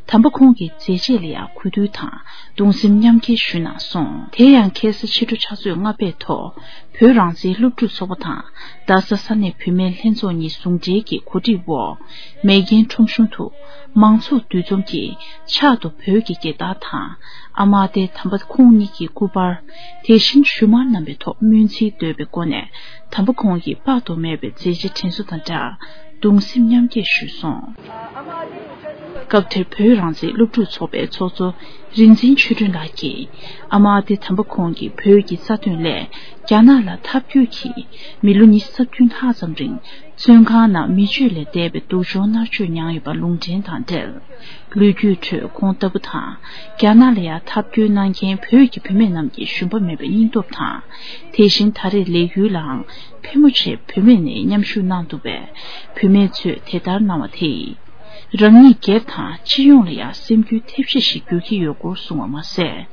དམ་པ་ཁོང་གི་མཛད་རྗེས་ལ་ཡང་གུས་འདུད་དང་གདུང་སེམས་མཉམ་སྐྱེད་ཞུས་གནང་སོང་། དེ་ཡང་ཁ་སང་ཕྱི་དྲོ་ཕྱག་ཚོད་ལྔ་པའི་ཐོག་བོད་རང་བཙན་སློབ་ཕྲུག་ཚོགས་པ་དང་རྡ་ས་ས་གནས་བུད་མེད་ལྷན་ཚོགས་གཉིས་ཟུང་འབྲེལ་གྱི་གོ་སྒྲིག་འོག་མེག་གྷན་ཁྲོམ་གཞུང་དུ་མང་ཚོགས་འདུ་འཛོམས་ཀྱིས་ཕྱག་ཏུ་བོད་ཀྱི་རྒྱལ་དར་དང་ཨ་མ་ཨ་ཏི་དམ་པ་ཁོང་ཉིད་ཀྱི་སྐུ་པར། དེ་བཞིན་ཞུ་མར་བསྣམས་པའི་ཐོག་སྨོན་ཚིག་བརྗོད་པའི་སྒོ་ནས་དམ་པ་ཁོང་གི་དཔག་ཏུ་མེད་པའི་མཛད་རྗེས་དྲན་གསོ་དང་སྦྲགས་གདུང་སེམས་མཉམ་སྐྱེད་ཞུས་སོང་། སྐབས་དེར་བོད་རང་བཙན་སློབ་ཕྲུག་ཚོགས་པའི་ཚོགས་གཙོ་རིག་འཛིན་ཆོས་སྒྲོན་ལགས་ཀྱིས་ཨ་མ་ཨ་ཏི་དམ་པ་ཁོང་གིས་བོད་ཀྱི་རྩ་དོན་སླད་རྒྱ་ནག་ལ་ཐབས་སྐྱོ་གིས་མི་ལོ་ཉི་ཤུ་རྩ་བདུན་ལྷག་ཙམ་རིང་བཙོན་ཁང་ནང་མི་སྤྱོད་ལས་འདས་པའི་སྡུག་སྦྱོང་མནར་གཅོད་མྱངས་ཡོད་པ་ལུང་འདྲེན་དང་འབྲེལ། ལོ་རྒྱུས་ཁྲོད་ཁོང་ལྟ་བུ་དང་རྒྱ་ནག་ལ་ཡང་ཐབས་སྐྱོ་གནང་མཁན་བོད་ཀྱི་བུད་མེད་རྣམས་ཀྱི་ཞུམ་པ་མེད་པའི་སྙིང་སྟོབས་དང་། དེ་བཞིན་ད་རེས་ལས་འགུལ་ལའང་ཕལ་མོ་ཆེ་བུད་མེད་ནས་མཉམ་ཞུགས་གནང་འདུག་པས། བུད་མེད་ཚོས་དེ་ལྟར་གནང་བ་དེས་རང་ཉིད་སྒེར་དང་སྤྱི་ཡོངས་ལ་ཡང་སེམས་འགུལ་ཐེབས་ཆེ་ཞིག་འགྱུར་གྱི་ཡོད་སྐོར་གསུངས་པ་མ་ཟད།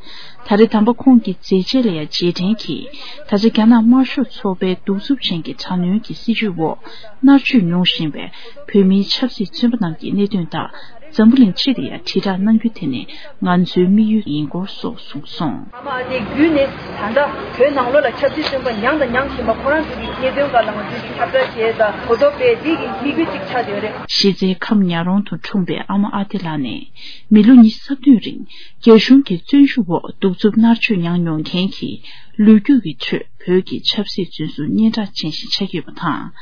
ད་རེས་དམ་པ་ཁོང་གི་མཛད་རྗེས་ལ་ཡང་རྗེས་དྲན་གྱིས་ད་ཆ་རྒྱ་ནག་དམར་ཤོག་ཚོགས་པའི་གདུག་རྩུབ་ཅན་གྱི་དྲག་གནོན་གྱི་སྲིད་བྱུས་འོག་མནར་གཅོད་མྱོང་བཞིན་པའི་བོད་མིའི་ཆབ་སྲིད་བཙོན་པ་རྣམས་ཀྱི་གནད་དོན་དག་འཛམ་བུ་གླིང་སྤྱི་ལ་ཡང་དྲིལ་བསྒྲགས་གནང་རྒྱུ་དེ་ནི་ང་ཚོའི་དམིགས་ཡུལ་ཡིན་སྐོར་སོགས་གསུངས་སོང་། ཨ་མ་ཨ་ཏི་བརྒྱུད་ནས་ད་ལྟ་བོད་ནང་ལོགས་ལ་ཆབ་སྲིད་བཙོན་པ་མྱངས་དང་མྱང་བཞིན་པ་ཁོ་རང་ཚོ་གི་གནད་དོན་སྒང་ལ་ང་ཚོས་ཀྱི་ཁྱབ་བསྒྲགས་བྱས་དང་གོ་རྟོགས་སྤེལ་འདི་གི་དམིགས་ཡུལ་གཅིག་ཆགས་བསྡད་ཡོད་རེད། གཞི་རྩའི་ཁམས་ཉག་རོང་དུ་འཁྲུངས་པའི་ཨ་མ་ཨ་ཏི་ལགས་ནི་མི་ལོ་ཉི་ཤུ་རྩ་བདུན་རིང་རྒྱ་གཞུང་གི་བཙོན་ཤུགས་འོག་གདུག་རྩུབ་མནར་གཅོད་མྱངས་མྱོང་མཁན་གྱི་ལོ་རྒྱུས་ཀྱི་ཁྲོད་བོད་ཀྱི་ཆབ་སྲིད་བཙོན་ཟུར་སྙན་གྲགས་ཅན་ཞིག་ཆགས་ཡོད་པ་དང་།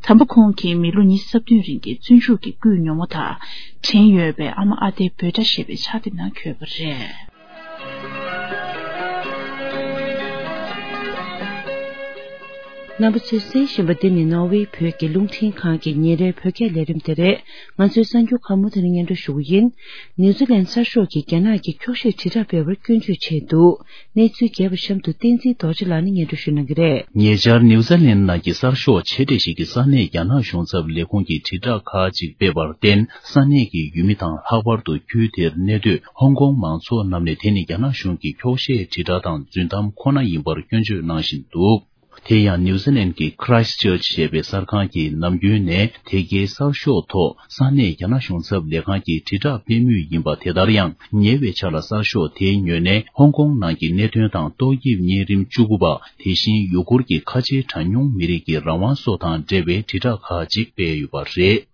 དམ་པ་ཁོང་གིས་མི་ལོ་ཉི་ཤུ་རྩ་བདུན་རིང་གི་བཙོན་འཇུག་གི་སྐུའི་ཉོན་མོངས་དག་དྲན་ཡོད་པའི་ཨ་མ་ཨ་ཏི་འབོད་སྒྲ་ཞེས་པའི་ཕྱག་དེབ་ནང་འཁོད་པ་རེད། རྣམ་པ་ཚོས་གསན་བཞིན་པ་འདི་ནི་ནོར་ཝེ་བོད་ཀྱི་རླུང་འཕྲིན་ཁང་གི་ཉིན་རེའི་བོད་སྐད་ལས་རིམ་དེ་རེད། ང་ཚོའི་གསར་འགྱུར་ཁག་མུ་མཐུད་ནས་སྙན་སྒྲོན་ཞུ་གི་ཡིན། ནིའུ་ཛི་ལན་གསར་ཤོག་གིས་རྒྱ་ནག་གི་འཁྱོག་བཤད་དྲིལ་བསྒྲགས་སྤེལ་བར་སྐྱོན་བརྗོད་བྱས་འདུག། གནས་ཚུལ་རྒྱས་པ་གཤམ་དུ་བསྟན་འཛིན་རྡོ་རྗེ་ལགས་ནས་སྙན་སྒྲོན་ཞུ་གནང་གི་རེད། ཉེ་ཆར་ནིའུ་ཛི་ལན་ནང་གི་གསར་ཤོག་ཆེ་གྲས་ཤིག་གིས་ས་གནས་རྒྱ་ནག་གཞུང་ཚབ་ལས་ཁུངས་ཀྱི་དྲིལ་བསྒྲགས་ཁག་ཅིག་སྤེལ་བར་བརྟེན། ས་གནས་ཀྱི་ཡུལ་མི་དང་ལྷག་པར་དུ་ཁུལ་དེར་གནས་སྡོད་ཧོང་ཀོང་མང་ཚོགས་རྣམས་ནས་དེ་ནི་རྒྱ་ནག་གཞུང་གི་འཁྱོག་བཤད་དྲིལ་བསྒྲགས་དང་རྫུན་གཏམ་ཁོ་ན་ཡིན་པར་སྐྱོན་བརྗོད་གནང་བཞིན་འདུག། དེ་ཡང་ནིའུ་ཛི་ལན་གྱི་Christchurch་ཞེས་པའི་གསར་ཁང་གིས་ནམ་རྒྱུན་ནས་དེ་གའི་གསར་ཤོག་ཐོག་ས་གནས་རྒྱ་ནག་གཞུང་ཚབ་ལས་ཁང་གི་དྲིལ་བསྒྲགས་སྤེལ་མུས་ཡིན་པ་དེ་ལྟར་ཡང་ཉེ་བའི་ཆར་ལ་གསར་ཤོག་དེའི་ངོས་ནས་ཧོང་ཀོང་ནང་གི་གནད་དོན་དང་ཏོག་དབྱིབས་གཉན་རིམས་བཅུ་དགུ་པ། དེ་བཞིན་ཡུ་གུར་གྱི་ཁ་ཆེའི་གྲངས་ཉུང་མི་རིགས་ཀྱི་རང་དབང་སོགས་དང་འབྲེལ་བའི་དྲིལ་བསྒྲགས་ཁག་ཅིག་སྤེལ་ཡོད་པ་རེད།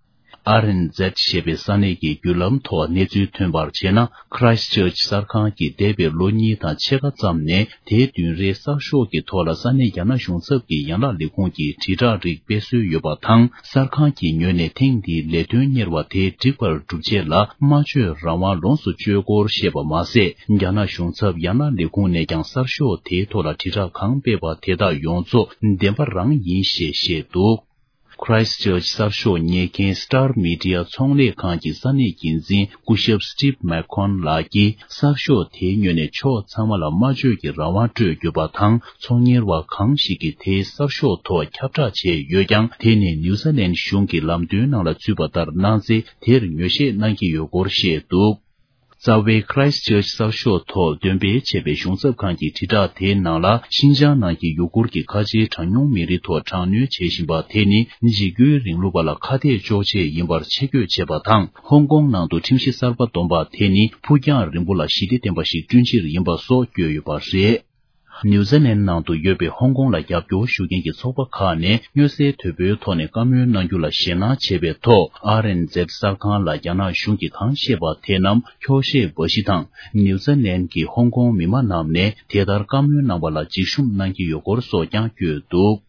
ཨར་ཨེན་ཛེད་ཞེས་པའི་ས་གནས་ཀྱི་བརྒྱུད་ལམ་ཐོག་གནས་ཚུལ་ཐོན་པར་བྱས་ན། Christchurch་གསར་ཁང་གིས་འདས་པའི་ལོ་གཉིས་དང་ཕྱེད་ཀ་ཙམ་ནས་དེའི་བདུན་རེའི་གསར་ཤོག་གི་ཐོག་ལ་ས་གནས་རྒྱ་ནག་གཞུང་ཚབ་ཀྱི་ཡན་ལག་ལས་ཁུངས་ཀྱི་དྲིལ་བསྒྲགས་རིགས་སྤེལ་སྲོལ་ཡོད་པ་དང་། གསར་ཁང་གི་ངོས་ནས་ཐེངས་འདིའི་ལས་དོན་གཉེར་བ་དེ་འགྲིག་པར་སྒྲུབ་ཆེད་ལ་སྨྲ་བརྗོད་རང་དབང་ལོངས་སུ་སྤྱོད་སྐོར་བཤད་པ་མ་ཟད། རྒྱ་ནག་གཞུང་ཚབ་ཡན་ལག་ལས་ཁུངས་ནས་ཀྱང་གསར་ཤོག་དེའི་ཐོག་ལ་དྲིལ་བསྒྲགས་གང་སྤེལ་བ་དེ་དག་ཡོངས་རྫོགས་བདེན་པ་རང་ཡིན་ཞེས་བཤད་འདུག། Christchurch གསར་ཤོག་གཉེར་མཁན་Star Media ཚོང་ལས་ཁང་གི་ས་གནས་འགན་འཛིན་སྐུ་ཞབས་Steve McCon ལགས་ཀྱིས། གསར་ཤོག་དེའི་ངོས་ནས་ཕྱོགས་ཚང་མ་ལ་སྨྲ་བརྗོད་ཀྱི་རང་དབང་སྤྲོད་དགོས་པ་དང་། ཚོང་གཉེར་བ་གང་ཞིག་གིས་དེའི་གསར་ཤོག་ཐོག་ཁྱབ་བསྒྲགས་བྱས་ཡོད་ཀྱང་། དེ་ནི་ནིའུ་ཛི་ལན་གཞུང་གི་ལམ་སྟོན་ནང་ལ་ཚུད་པ་ལྟར་གནང་ཚེ། དེར་ངོས་བཞེས་གནང་གི་ཡོད་སྐོར་བཤད་འདུག། རྩ་བའི་Christchurch གསར་ཤོག་ཐོག་འདོན་སྤེལ་བྱས་པའི་གཞུང་ཚབ་ཁང་གི་དྲིལ་བསྒྲགས་དེའི་ནང་ལ། ཤིན་ཅང་ནང་གི་ཡུ་གུར་གྱི་ཁ་ཆེའི་གྲངས་ཉུང་མི་རིགས་ཐོག་དྲག་གནོན་བྱེད་བཞིན་པ་དེ་ནི། འཇིགས་སྐུལ་རིང་ལུགས་པ་ལ་ཁ་གཏད་གཅོག་ཆེད་ཡིན་པར་ཆེད་བསྐྱོད་བྱས་པ་དང་། ཧོང་ཀོང་ནང་དུ་ཁྲིམས་གཞི་གསར་པ་བསྡོམས་པ་དེ་ནི། ཕུགས་རྒྱང་རིང་པོ་ལ་ཞི་བདེ་ལྡན་པ་ཞིག་བསྐྲུན་ཕྱིར་ཡིན་པ་སོགས་བཀོད་ཡོད་པ་རེད། ནིའུ་ཛི་ལན་ནང་དུ་ཡོད་པའི་ཧོང་ཀོང་ལ་རྒྱབ་སྐྱོར་ཞུ་མཁན་གྱི་ཚོགས་པ་ཁག་ནས། མྱུར་སེལ་དོད་པོའི་ཐོག་ནས་བཀའ་མོལ་གནང་རྒྱུ་ལ་ཞེད་སྣང་བྱས་པའི་ཐོག། ཨར་ཨེན་ཛེད་གསར་ཁང་ལ་རྒྱ་ནག་གཞུང་གིས་གང་བཤད་པ་དེ་རྣམས་འཁྱོག་བཤད་འབའ་ཞིག་དང་། ནིའུ་ཛི་ལན་གྱི་ཧོང་ཀོང་མི་མང་རྣམས་ནས་དེ་ལྟར་བཀའ་མོལ་གནང་བ་ལ་འཇིགས་ཞུམ་གནང་གི་ཡོད་སྐོར་སོགས་ཀྱང་བཀོད་འདུག།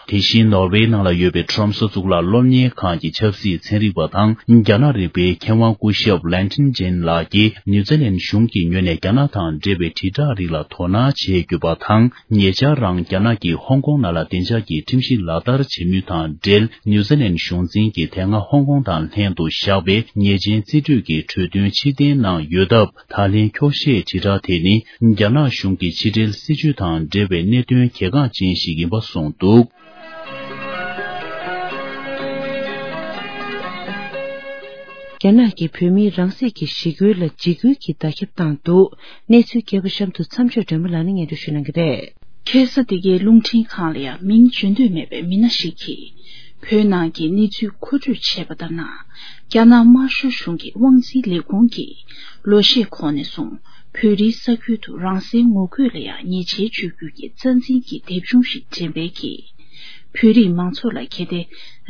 དེ་བཞིན། ནོར་ཝེ་ནང་ལ་ཡོད་པའི་ཁྲོམ་སོ་གཙུག་ལག་སློབ་གཉེར་ཁང་གི་ཆབ་སྲིད་ཚན་རིག་པ་དང་། རྒྱ་ནག་རིག་པའི་མཁས་དབང་སྐུ་ཞབས་ལན་ཁྲིན་ཅན་ལགས་ཀྱིས། ནིའུ་ཛི་ལན་གཞུང་གི་ངོས་ནས་རྒྱ་ནག་དང་འབྲེལ་བའི་དྲིལ་བསྒྲགས་རིགས་ལ་དོ་སྣང་བྱེད་དགོས་པ་དང་། ཉེ་ཆར་རང་རྒྱ་ནག་གིས་ཧོང་ཀོང་ནང་ལ་བདེ་འཇགས་ཀྱི་ཁྲིམས་གཞི་ལག་བསྟར་བྱེད་མུས་དང་འབྲེལ། ནིའུ་ཛི་ལན་གཞུང་འཛིན་གྱིས་དེ་སྔ་ཧོང་ཀོང་དང་ལྷན་དུ་བཞག་པའི་ཉེས་ཅན་རྩིས་སྤྲོད་ཀྱི་གྲོས་མཐུན་ཕྱིར་འཐེན་གནང་ཡོད་སྟབས། ད་ལན་འཁྱོག་བཤད་དྲིལ་བསྒྲགས་དེ་ནི། རྒྱ་ནག་གཞུང་གི་ཕྱི་འབྲེལ་སྲིད་བྱུས་དང་འབྲེལ་བའི་གནད་དོན་གལ་འགངས་ཅན་ཞིག་ཡིན་པ་གསུངས་འདུག། རྒྱ་ནག་གིས་བོད་མིའི་རང་སྲིད་ཀྱི་ཞི་རྒོལ་ལ་འཇིགས་སྐུལ་གྱི་བརྡ་ཁྱབ་བཏང་འདུག། གནས་ཚུལ་རྒྱས་པ་གཤམ་དུ་མཚམས་སྦྱོར་སྒྲོལ་མ་ལགས་ནས་སྙན་སྒྲོན་ཞུ་གནང་གི་རེད། ཁ་སང་འདི་གའི་རླུང་འཕྲིན་ཁང་ལ་ཡང་མིང་བརྗོད་འདོད་མེད་པའི་མི་སྣ་ཞིག་གིས། བོད་ནང་གི་གནས་ཚུལ་མཁོ་སྤྲོད་བྱས་པ་ལྟར་ན། རྒྱ་ནག་དམར་ཤོག་གཞུང་གི་དབང་འཛིན་ལས་ཁུངས་ཀྱིས། ལོ་ཤས་གོང་ནས་བཟུང་། བོད་རིགས་ས་ཁུལ་དུ་རང་སའི་ངོ་རྒོལ་ལ་ཡང་ཉེས་ཆད་གཅོད་རྒྱུ་གི་རྩ་འཛིན་གྱི་དེབ་ཆུང་ཞིག་འགྲེམས་སྤེལ་གྱིས། བོད་རིགས་མང་ཚོགས་ལ་གལ་ཏེ་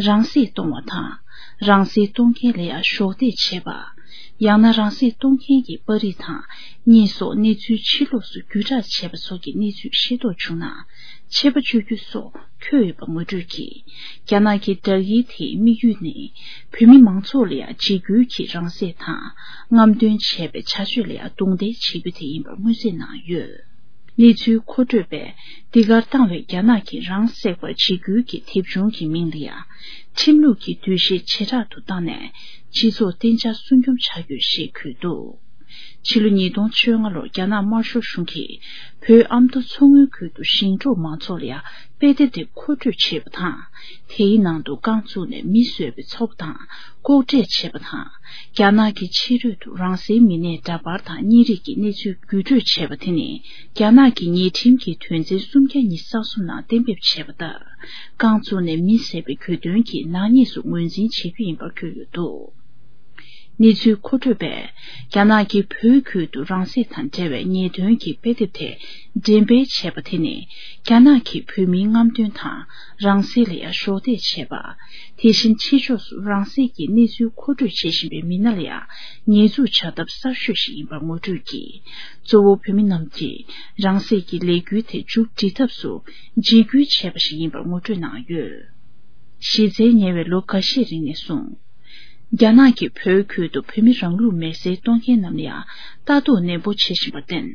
རང་སྲིད་གཏོང་བ་དང་། རང་སྲིད་གཏོང་མཁན་ལ་ཡང་གཞོགས་འདེགས་བྱས་པ། ཡང་ན་རང་སྲིད་གཏོང་མཁན་གྱི་པར་རིས་དང་། གཉེན་སོགས་གནས་ཚུལ་ཕྱི་ལོགས་སུ་བརྒྱུད་བསྒྲགས་བྱས་པ་སོགས་ཀྱི་གནས་ཚུལ་ཤེས་རྟོགས་བྱུང་ན། ཆད་པ་གཅོད་རྒྱུ་སོགས་འཁོད་ཡོད་པ་ངོ་སྤྲོད་ཀྱིས། རྒྱ་ནག་གི་བསྒྲགས་ཡིག་དེའི་དམིགས་ཡུལ་ནི། བོད་མི་མང་ཚོགས་ལ་ཡང་འཇིགས་སྐུལ་གྱིས་རང་སྲེག་དང་། རྔམ་སྟོན་བྱས་པའི་བྱ་སྤྱོད་ལ་ཡང་རྡུང་རྡེག་བྱེད་རྒྱུ་དེ་ཡིན་པར་མངོན་གསལ་གནང་ཡོད། གནས་ཚུལ་མཁོ་སྤྲོད་པས། འདི་གར་བཏང་བའི་རྒྱ་ནག་གི་རང་སྲེག་པར་འཇིགས་སྐུལ་གྱི་དེབ་ཆུང་གི་མིང་ལ་ཡང་། ཁྲིམས་ལུགས་ཀྱི་འདུ་ཤེས་ཇེ་དྲག་ཏུ་བཏང་ནས། སྤྱི་ཚོགས་བརྟན་འཇགས་སྲུང་སྐྱོང་བྱ་རྒྱུ་ཞེས་འཁོད་འདུག། ཕྱི་ལོ་ཉིས་སྟོང་བཅོ་ལྔ་ལོར་རྒྱ་ནག་དམར་ཤོག་གཞུང་གིས་བོད་ཨ་མདོ་མཚོ་སྔོན་ཁུལ་དུ་ཞིང་འབྲོག་མང་ཚོགས་ལ་ཡང་དཔེ་དེབ་དེ་མཁོ་སྤྲོད་བྱས་པ་དང་། དེའི་ནང་དུ་རྐང་བཙུགས་ནས་མི་གསོད་པའི་ཚོགས་པ་དང་ལྐོག་འབྲེལ་བྱས་པ་དང་། རྒྱ་ནག་གི་ཕྱི་རོལ་དུ་རང་སའི་མི་སྣའི་འདྲ་པར་དང་བརྙན་རིས་ཀྱི་གནས་ཚུལ་བརྒྱུད་སྤྲོད་བྱས་པ་དེ་ནི། རྒྱ་ནག་གི་ཉེས་ཁྲིམས་ཀྱི་དོན་ཚན་སུམ་བརྒྱ་ཉི་ཤུ་རྩ་གསུམ་ནང་གཏན་འབེབས་བྱས་པ་ལྟར། རྐང་བཙུགས་ནས་མི་བསད་པའི་གྱོད་དོན་གྱི་ནག་ཉེས་སུ་ངོས་འཛིན་བྱེད་རྒྱུ་ཡིན་པར་བཀོད་ཡོད་འདུག། གནས་ཚུལ་མཁོ་སྤྲོད་པས། རྒྱ་ནག་གིས་བོད་ཁུལ་དུ་རང་སྲེག་དང་འབྲེལ་བའི་ཉེས་དོན་གྱི་དཔེ་དེབ་དེ་འགྲེམས་སྤེལ་བྱས་པ་དེ་ནི། རྒྱ་ནག་གིས་བོད་མིའི་རྔམ་སྟོན་དང་། རང་སྲེག་ལ་ཡང་གཞོགས་འདེགས་བྱས་པ། དེ་བཞིན་ཕྱི་ཕྱོགས་སུ་རང་སྲེག་གི་གནས་ཚུལ་མཁོ་སྤྲོད་བྱེད་བཞིན་པའི་མི་སྣ་ལ་ཡང་ཉེས་འཛུགས་བྱ་ཐབས་གསར་ཤོས་ཤིག་ཡིན་པར་ངོ་སྤྲོད་ཀྱིས། གཙོ་བོ་བོད་མི་རྣམས་ཀྱིས་རང་སྲེག་གི་ལས་འགུལ་དེ་མཇུག་སྒྲིལ་ཐབས་སུ་འཇིགས་སྐུལ་བྱས་པ་ཞིག་ཡིན་པར་ངོ་སྤྲོད་གནང་ཡོད། གཞི་རྩའི་ཉེ་བའི་ལོ་འགའ་ཤས་རིང་ནས་བཟུང་། རྒྱ་ནག་གིས་བོད་ཁུལ་དུ་བོད་མི་རང་ལུགས་མེར་སྲེག་གཏོང་མཁན་རྣམས་ལ་ཡང་ལྟ་རྟོག་ནན་པོ་བྱེད་བཞིན་པར་བརྟེན།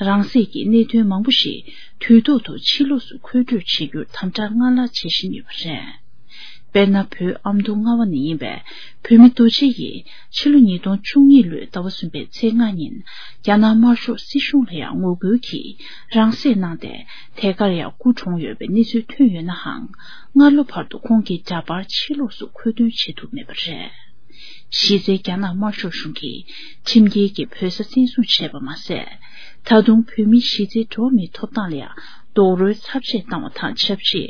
རང་སྲེག་གི་གནད་དོན་མང་པོ་ཞིག་དུས་ཐོག་ཏུ་ཕྱི་ལོགས་སུ་མཁོ་སྤྲོད་བྱེད་རྒྱུར་དམ་དྲག་སྔར་ལྷག་བྱེད་བཞིན་ཡོད་པ་རེད། དཔེར་ན། བོད་ཨ་མདོ་རྔ་བ་ནས་ཡིན་པའི་བོད་མི་རྡོ་རྗེ་ཡིས་ཕྱི་ལོ་ཉིས་སྟོང་བཅུ་གཉིས་ལོའི་ཟླ་བ་གསུམ་པའི་ཚེས་ལྔ་ཉིན། རྒྱ་ནག་དམར་ཤོག་སྲིད་གཞུང་ལ་ཡང་ངོ་རྒོལ་གྱིས་རང་སྲེག་གནང་སྟེ། དེ་གར་ཡང་སྐུ་གྲོངས་ཡོད་པའི་གནས་ཚུལ་ཐོན་ཡོད་ནའང་། སྔ་ལོ་བར་དུ་ཁོང་གི་འདྲ་པར་ཕྱི་ལོགས་སུ་མཁོ་འདོན་བྱེད་ཐུབ་མེད་པ་རེད། གཞི་རྩའི་རྒྱ་ནག་དམར་ཤོག་གཞུང་གིས་ཁྲིམས་འགལ་གྱིས་བོད་ས་བཙན་བཟུང་བྱས་པ་མ་ཟད། ད་དུང་བོད་མིའི་གཞི་རྩའི་འགྲོ་བ་མིའི་ཐོབ་ཐང་ལ་ཡང་རྡོག་རོལ་ཚབས་ཆེ་བཏང་བ་དང་ཆབས་ཅིག་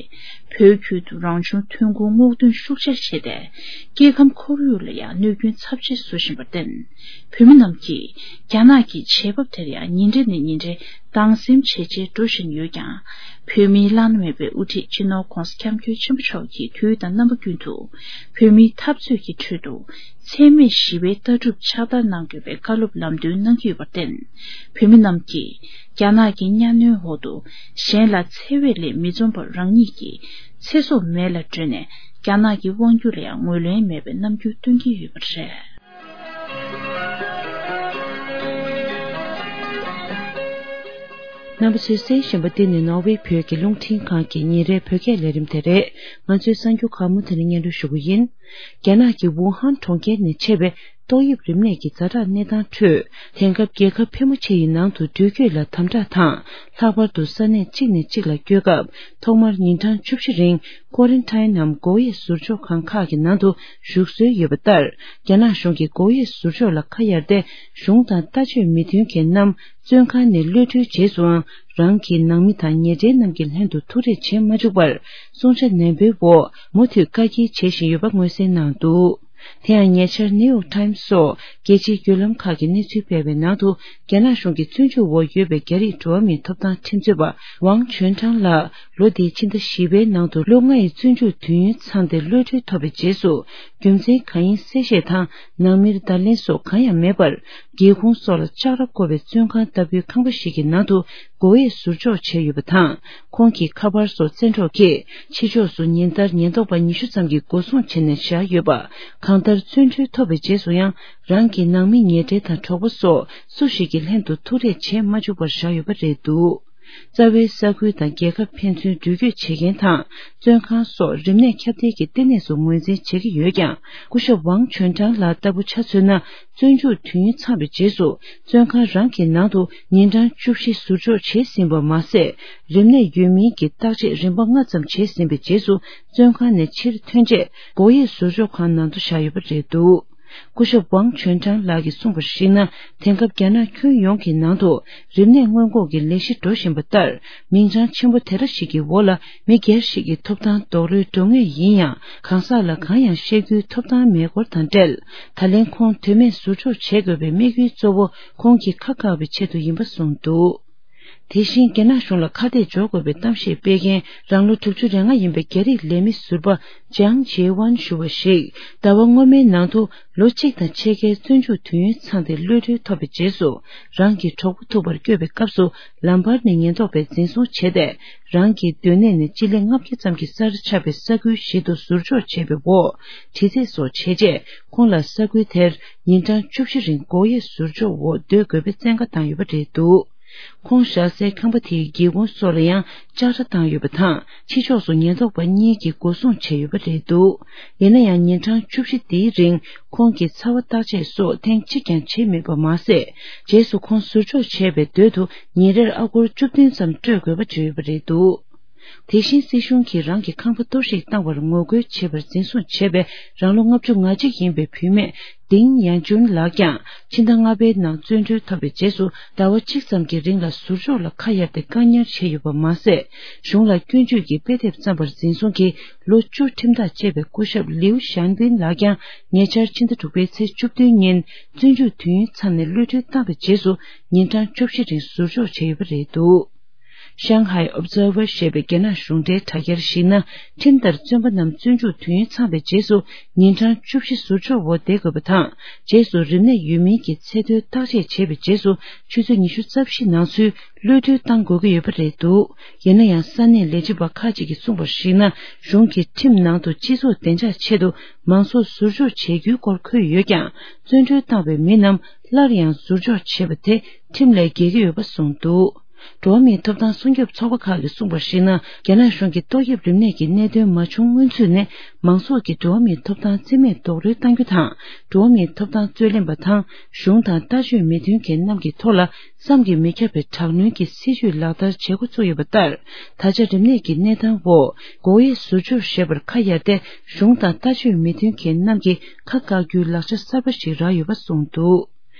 བོད་ཁུལ་དུ་རང་བྱུང་ཐོན་ཁུངས་སྔོག་འདོན་ཤུགས་ཆེར་བྱས་ཏེ། སྐྱེ་ཁམས་ཁོར་ཡུག་ལ་ཡང་གནོད་སྐྱོན་ཚབས་ཆེ་བཟོ་བཞིན་པར་བརྟེན། བོད་མི་རྣམས་ཀྱིས་རྒྱ་ནག་གི་བྱེད་བབ་དེར་ཡང་ཉིན་རེ་ནས་ཉིན་རེ་སྡང་སེམས་ཇེ་ཆེར་འགྲོ་བཞིན་ཡོད་ཀྱང་། བོད་མིའི་བླ་ན་མེད་པའི་དབུ་ཁྲིད་སྤྱི་ནོར་༧གོང་ས་༧སྐྱབས་མགོན་ཆེན་པོ་མཆོག་གིས་དུས་དང་རྣམ་པ་ཀུན་ཏུ། བོད་མིའི་འཐབ་རྩོད་ཀྱི་ཁྲོད་དུ། འཚེ་མེད་ཞི་བའི་ལྟ་གྲུབ་ཕྱག་བསྟར་གནང་དགོས་པའི་བཀའ་སློབ་ལམ་སྟོན་གནང་གི་ཡོད་པར་བརྟེན། བོད་མི་རྣམས་ཀྱིས་རྒྱ་ནག་གི་གཉའ་གནོན་འོག་ཏུ་གཞན་ལ་འཚེ་བའི་ལས་མི་འཛོམས་པར་རང་ཉིད་ཀྱི་ཚེ་སྲོག་མེད་ལ་སྤྲོད་ནས། རྒྱ་ནག་གི་དབང་སྒྱུར་ལ་ཡང་ངོས་ལེན་མེད་པའི་རྣམ་འགྱུར་སྟོན་གྱི་ཡོད་པ་རེད། རྣམ་པ་ཚོས་གསན་བཞིན་པ་འདི་ནི་ནོར་ཝེ་བོད་ཀྱི་རླུང་འཕྲིན་ཁང་གི་ཉིན་རེའི་བོད་སྐད་ལས་རིམ་དེ་རེད། ང་ཚོའི་གསར་འགྱུར་ཁག་མུ་མཐུད་ནས་སྙན་སྒྲོན་ཞུ་གི་ཡིན། རྒྱ་ནག་གི་ཝུ་ཧན་གྲོང་ཁྱེར་ནས་མཆེད་པའི་ཏོག་དབྱིབས་རིམས་ནད་ཀྱི་ཛ་དྲག་གནས་སྟངས་ཁྲོད། དེང་སྐབས་རྒྱལ་ཁབ་ཕལ་མོ་ཆེ་ཡི་ནང་དུ་འགྲུལ་སྐྱོད་ལ་དམ་དྲག་དང་། ལྷག་པར་དུ་ས་གནས་གཅིག་ནས་གཅིག་ལ་སྐྱོད་སྐབས། ཐོག་མར་ཉིན་གྲངས་བཅུ་བཞི་རིང་ཀོ་རན་ཊིན་ནམ་སྒོ་དབྱེ་ཟུར་འཇོག་ཁང་ཁག་གི་ནང་དུ་བཞུགས་སྲོལ་ཡོད་པ་ལྟར། རྒྱ་ནག་གཞུང་གིས་སྒོ་དབྱེ་ཟུར་འཇོག་ལ་ཁ་གཡར་ཏེ། གཞུང་དང་ལྟ་སྤྱོད་མི་མཐུན་མཁན་རྣམས། བཙོན་ཁང་ནས་གློད་གྲོལ་རྗེས་སུའང་། རང་གི་ནང་མི་དང་ཉེ་འབྲེལ་རྣམས་ཀྱི་ལྷན་དུ་ཐུག་འཕྲད་བྱེད་མ་བཅུག་པར། བསྲུང་བྱ་ནན་པོའི་འོག་མུ་མཐུད་བཀག་སྐྱིལ་བྱེད་བཞིན་ཡོད་པ་མངོན་གསལ་གནང་འདུག་དེ་ཡང་ཉེ་ཆར་ནིའུ་ཡོག་ཊའིམ་སོགས་རྒྱལ་སྤྱིའི་བརྒྱུད་ལམ་ཁག་གིས་གནས་ཚུལ་སྤེལ་བའི་ནང་དུ། རྒྱ་ནག་གཞུང་གིས་བཙོན་འཇུག་འོག་ཡོད་པའི་རྒྱ་རིགས་འགྲོ་བ་མིའི་ཐོབ་ཐང་ཁྲིམས་རྩོད་པ་ཝང་ཆོན་ཀྲང་ལགས། ལོ་འདིའི་ཕྱི་ཟླ་བཞི་པའི་ནང་དུ་ལོ་ལྔ་ཡི་བཙོན་འཇུག་དུས་ཡུན་ཚང་སྟེ་གློད་གྲོལ་ཐོབ་པའི་རྗེས་སུ། རྒྱུ་མཚན་གང་ཡིན་གསལ་བཤད་དང་ནང་མིར་བརྡ་ལན་སོགས་གང་ཡང་མེད་པར། སྒེའུ་ཁུང་སོགས་ལ་ལྕགས་ར་བསྐོར་བའི་བཙོན་ཁང་ལྟ་བུའི་ཁང་པ་ཞིག་གི་ནང་དུ་སྒོ་དབྱེ་ཟུར་འཇོག་བྱས་ཡོད་པ་དང་། ཁོང་གི་ཁ་པར་སོགས་བཙན་འཕྲོག་གིས་ཕྱི་ཕྱོགས་སུ་ཉིན་ལྟར་ཉེན་རྟོག་པ་ཉི་ཤུ་ཙམ་གྱིས་སྒོ་སྲུང་བྱས་ནས་བཞག་ཡོད་པ། གང་ལྟར་བཙོན་གྲོལ་ཐོབ་པའི་རྗེས་སུ་ཡང་རང་གི་ནང་མི་ཉེ་འབྲེལ་དང་གྲོགས་པོ་སོགས་སུ་ཞིག་གི་ལྷན་དུ་ཐུག་འཕྲད་བྱེད་མ་བཅུག་པར་བཞག་ཡོད་པ་རེད་འདུག་རྩ་བའི་ས་ཁུལ་དང་རྒྱལ་ཁབ་ཕན་ཚུན་འགྲུལ་སྐྱོད་བྱེད་མཁན་དང་། བཙོན་ཁང་སོགས་རིམས་ནད་ཁྱབ་གདལ་གྱི་ལྟེ་གནས་སུ་ངོས་འཛིན་བྱེད་ཀྱི་ཡོད་ཀྱང་། སྐུ་ཞབས་ཝང་ཆོན་ཀྲང་ལགས་ལྟ་བུ་ཆ་མཚོན་ན། བཙོན་འཇུག་དུས་ཡུན་ཚང་བའི་རྗེས་སུ། བཙོན་ཁང་རང་གི་ནང་དུ་ཉིན་གྲངས་བཅུ་བཞི་ཟུར་འཇོག་བྱས་ཟིན་པ་མ་ཟད། རིམས་ནད་ཡོད་མིན་གྱི་བརྟག་དཔྱད་རིམ་པ་ལྔ་ཙམ་བྱས་ཟིན་པའི་རྗེས་སུ། བཙོན་ཁང་ནས་ཕྱིར་ཐོན་རྗེས། སྒོ་དབྱེ་ཟུར་འཇོག་ཁང་ནང་དུ་བཞག་ཡོད་པ་རེད་འདུག་སྐུ་ཞབས་ཝང་ཆོན་ཀྲང་ལགས་ཀྱིས་གསུངས་པར་གཞིགས་ན། དེང་སྐབས་རྒྱ་ནག་ཁྱོན་ཡོངས་ཀྱི་ནང་དུ་རིམས་ནད་སྔོན་འགོག་གི་ལས་གཞི་འགྲོ་བཞིན་པ་ལྟར། མིང་བྱང་ཆེན་པོ་དེ་འདྲ་ཞིག་གི་འོག་ལ་མི་སྒེར་ཞིག་གི་ཐོབ་ཐང་རྡོག་རོལ་འགྲོ་ངེས་ཡིན་ཡང་། གང་ཟག་ལ་གང་ཡང་བཤད་རྒྱུའི་ཐོབ་ཐང་མེད་སྐོར་དང་འབྲེལ། ད་ལན་ཁོང་དོན་མེད་ཟུར་འཇོག་བྱེད་དགོས་པའི་དམིགས་ཡུལ་གཙོ་བོ་ཁོང་གི་ཁ་བཀག་པའི་ཆེད་དུ་ཡིན་པ་གསུངས་འདུག་དེ་བཞིན་རྒྱ་ནག་གཞུང་ལ་ཁ་གཏད་གཅོག་དགོས་པའི་གཏམ་བཤད་སྤེལ་མཁན་རང་ལོ་དྲུག་ཅུ་རེ་ལྔ་ཡིན་པའི་རྒྱ་རིགས་ལས་མི་ཟུར་པ་ཅང་ཇེ་ཝན་ཞུ་བ་ཞིག་ཟླ་བ་སྔོན་མའི་ནང་དུ་ལོ་གཅིག་དང་ཕྱེད་ཀའི་བཙོན་འཇུག་དུས་ཡུན་ཚང་སྟེ་གློད་གྲོལ་ཐོབ་པའི་རྗེས་སུ། རང་གི་གྲོགས་པོ་ཐུག་པར་བསྐྱོད་པའི་སྐབས་སུ་ལམ་བར་ནས་ཉེན་རྟོག་པས་འཛིན་བཟུང་བྱས་ཏེ། རང་གི་སྡོད་གནས་ནས་སྤྱི་ལེ་ལྔ་བརྒྱ་ཙམ་གྱི་སར་ཆགས་པའི་ས་ཁུལ་ཞིག་ཏུ་ཟུར་འཇོག་བྱས་པའི་འོག་དྲི་རྩད་སོགས་བྱས་རྗེས། ཁོང་ལ་ས་ཁུལ་དེར་ཉིན་གྲངས་བཅུ་བཞི་རིང་སྒོ་དབྱེ་ཟུར་འཇོག་འོག་སྡོད་དགོས་པའི་བཙན་བཀའ་བཏང་ཡོད་པ་རེད་འདུག་ཁོང་བཞག་སའི་ཁང་པ་དེའི་སྒེའུ་ཁུང་སོགས་ལ་ཡང་ལྕགས་ར་བཏང་ཡོད་པ་དང་། ཕྱི་ཕྱོགས་སུ་ཉེན་རྟོག་པ་གཉིས་ཀྱིས་སྒོ་སྲུང་བྱས་ཡོད་པ་རེད་འདུག་ཡིན་ན་ཡང་ཉིན་གྲངས་བཅུ་བཞི་འདིའི་རིང་ཁོང་གི་ཚ་བ་བརྟག་དཔྱད་སོགས་ཐེངས་གཅིག་ཀྱང་བྱས་མེད་པ་མ་ཟད། རྗེས་སུ་ཁོང་ཟུར་འཇོག་བྱས་པའི་སྡོད་དུ་ཉིན་རེར་ཨ་སྒོར་བཅུ་བདུན་ཙམ་སྤྲོད་དགོས་པ་བརྗོད་ཡོད་པ་རེད་འདུག་དེ་བཞིན་སྲིད་གཞུང་གིས་རང་གི་ཁང་པ་གཏོར་བཤིག་བཏང་བར་ངོ་རྒོལ་བྱེད་པར་འཛིན་བཟུང་བྱས་པའི་རང་ལོ་ལྔ་བཅུ་ང་གཅིག་ཡིན་པའི་བུད་མེད་ཏིང་ཡང་ཅུན་ལགས་ཀྱང་ཕྱི་ཟླ་ལྔ་པའི་ནང་བཙོན་གྲོལ་ཐོབ་པའི་རྗེས་སུ་ཟླ་བ་གཅིག་ཙམ་གྱི་རིང་ལ་ཟུར་འཇོག་ལ་ཁ་གཡར་ཏེ་བཀག་ཉར་བྱས་ཡོད་པ་མ་ཟད། གཞུང་ལ་སྐྱོན་བརྗོད་ཀྱི་དཔེ་དེབ་བརྩམས་པར་འཛིན་བཟུང་གིས་ལོ་བཅུ་ཁྲིམས་ཐག་བཅད་པའི་སྐུ་ཞབས་ལིའུ་ཞན་པིན་ལགས་ཀྱང་ཉེ་ཆར་ཕྱི་ཟླ་དྲུག་པའི་ཚེས་བཅུ་བདུན་ཉིན་བཙོན་འཇུག་དུས་ཡུན་ཚང་ནས་གློད་གྲོལ་བཏང་བའི་རྗེས་སུ་ཉིན་གྲངས་བཅུ་བཞི་རིང་ཟུར་འཇོག་བྱས་ཡོད་པ་རེད་འདུག Shanghai Observer ཞེས་པའི་རྒྱ་ནག་གཞུང་འབྲེལ་དྲ་རྒྱར་གཞིགས་ན། ཁྲིམས་ལྟར་བཙོན་པ་རྣམས་བཙོན་འཇུག་དུས་ཡུན་ཚང་བའི་རྗེས་སུ་ཉིན་གྲངས་བཅུ་བཞི་ཟུར་འཇོག་འོག་བསྡད་དགོས་པ་དང་། རྗེས་སུ་རིམས་ནད་ཡོད་མིན་གྱི་ཚད་མཐོའི་བརྟག་དཔྱད་བྱས་པའི་རྗེས་སུ་ཆུ་ཚོད་ཉི་ཤུ་རྩ་བཞི་ནང་ཚུད་གློད་གྲོལ་བཏང་དགོས་ཀྱི་ཡོད་པ་རེད་འདུག་ཡིན་ན་ཡང་ས་གནས་ལས་བྱེད་པ་ཁག་ཅིག་གིས་གསུངས་པར་གཞིགས་ན། གཞུང་གིས་ཁྲིམས་ནང་དུ་སྤྱི་ཚོགས་བདེ་འཇགས་ཆེད་དུ་མང་ཚོགས་ཟུར་འཇོག་བྱེད་རྒྱུའི་སྐོར་འཁོད་ཡོད་ཀྱང་། བཙོན་གྲོལ་བཏང་བའི་མི་རྣམས་སླར་ཡང་ཟུར་འཇོག་བྱེད་པ་དེ་ཁྲིམས་ལས་འགལ་གྱི་ཡོད་པ་གསུངས་འདུག་འགྲོ་བ་མིའི་ཐོབ་ཐང་སྲུང་སྐྱོབ་ཚོགས་པ་ཁག་གིས་གསུངས་པར་གཞིགས་ན། རྒྱ་ནག་གཞུང་གིས་ཏོག་དབྱིབས་རིམས་ནད་ཀྱི་གནད་དོན་མ་བྱུང་སྔོན་ཚུད་ནས་མང་ཚོགས་ཀྱི་འགྲོ་བ་མིའི་ཐོབ་ཐང་རྩིས་མེད་རྡོག་རོལ་གཏང་རྒྱུ་དང་། འགྲོ་བ་མིའི་ཐོབ་ཐང་རྩོད་ལེན་པ་དང་གཞུང་དང་ལྟ་སྤྱོད་མི་མཐུན་མཁན་རྣམས་ཀྱི་ཐོག་ལ་བསམ་གྱིས་མི་ཁྱབ་པའི་དྲག་གནོན་གྱི་སྲིད་བྱུས་ལག་བསྟར་བྱེད་འགོ་བཙུགས་ཡོད་པ་ལྟར། ད་ཆ་རིམས་ནད་ཀྱི་གནས་སྟངས་འོག་སྒོ་དབྱེ་ཟུར་འཇོག་ཞེས་པར་ཁ་གཡར་ཏེ་གཞུང་དང་ལྟ་སྤྱོད་མི་མཐུན་མཁན་རྣམས་ཀྱིས་ཁ་བཀག་རྒྱུའི་ལག་ཆ་གསར་པ་ཞིག་རག་ཡོད་པ་གསུངས་འདུག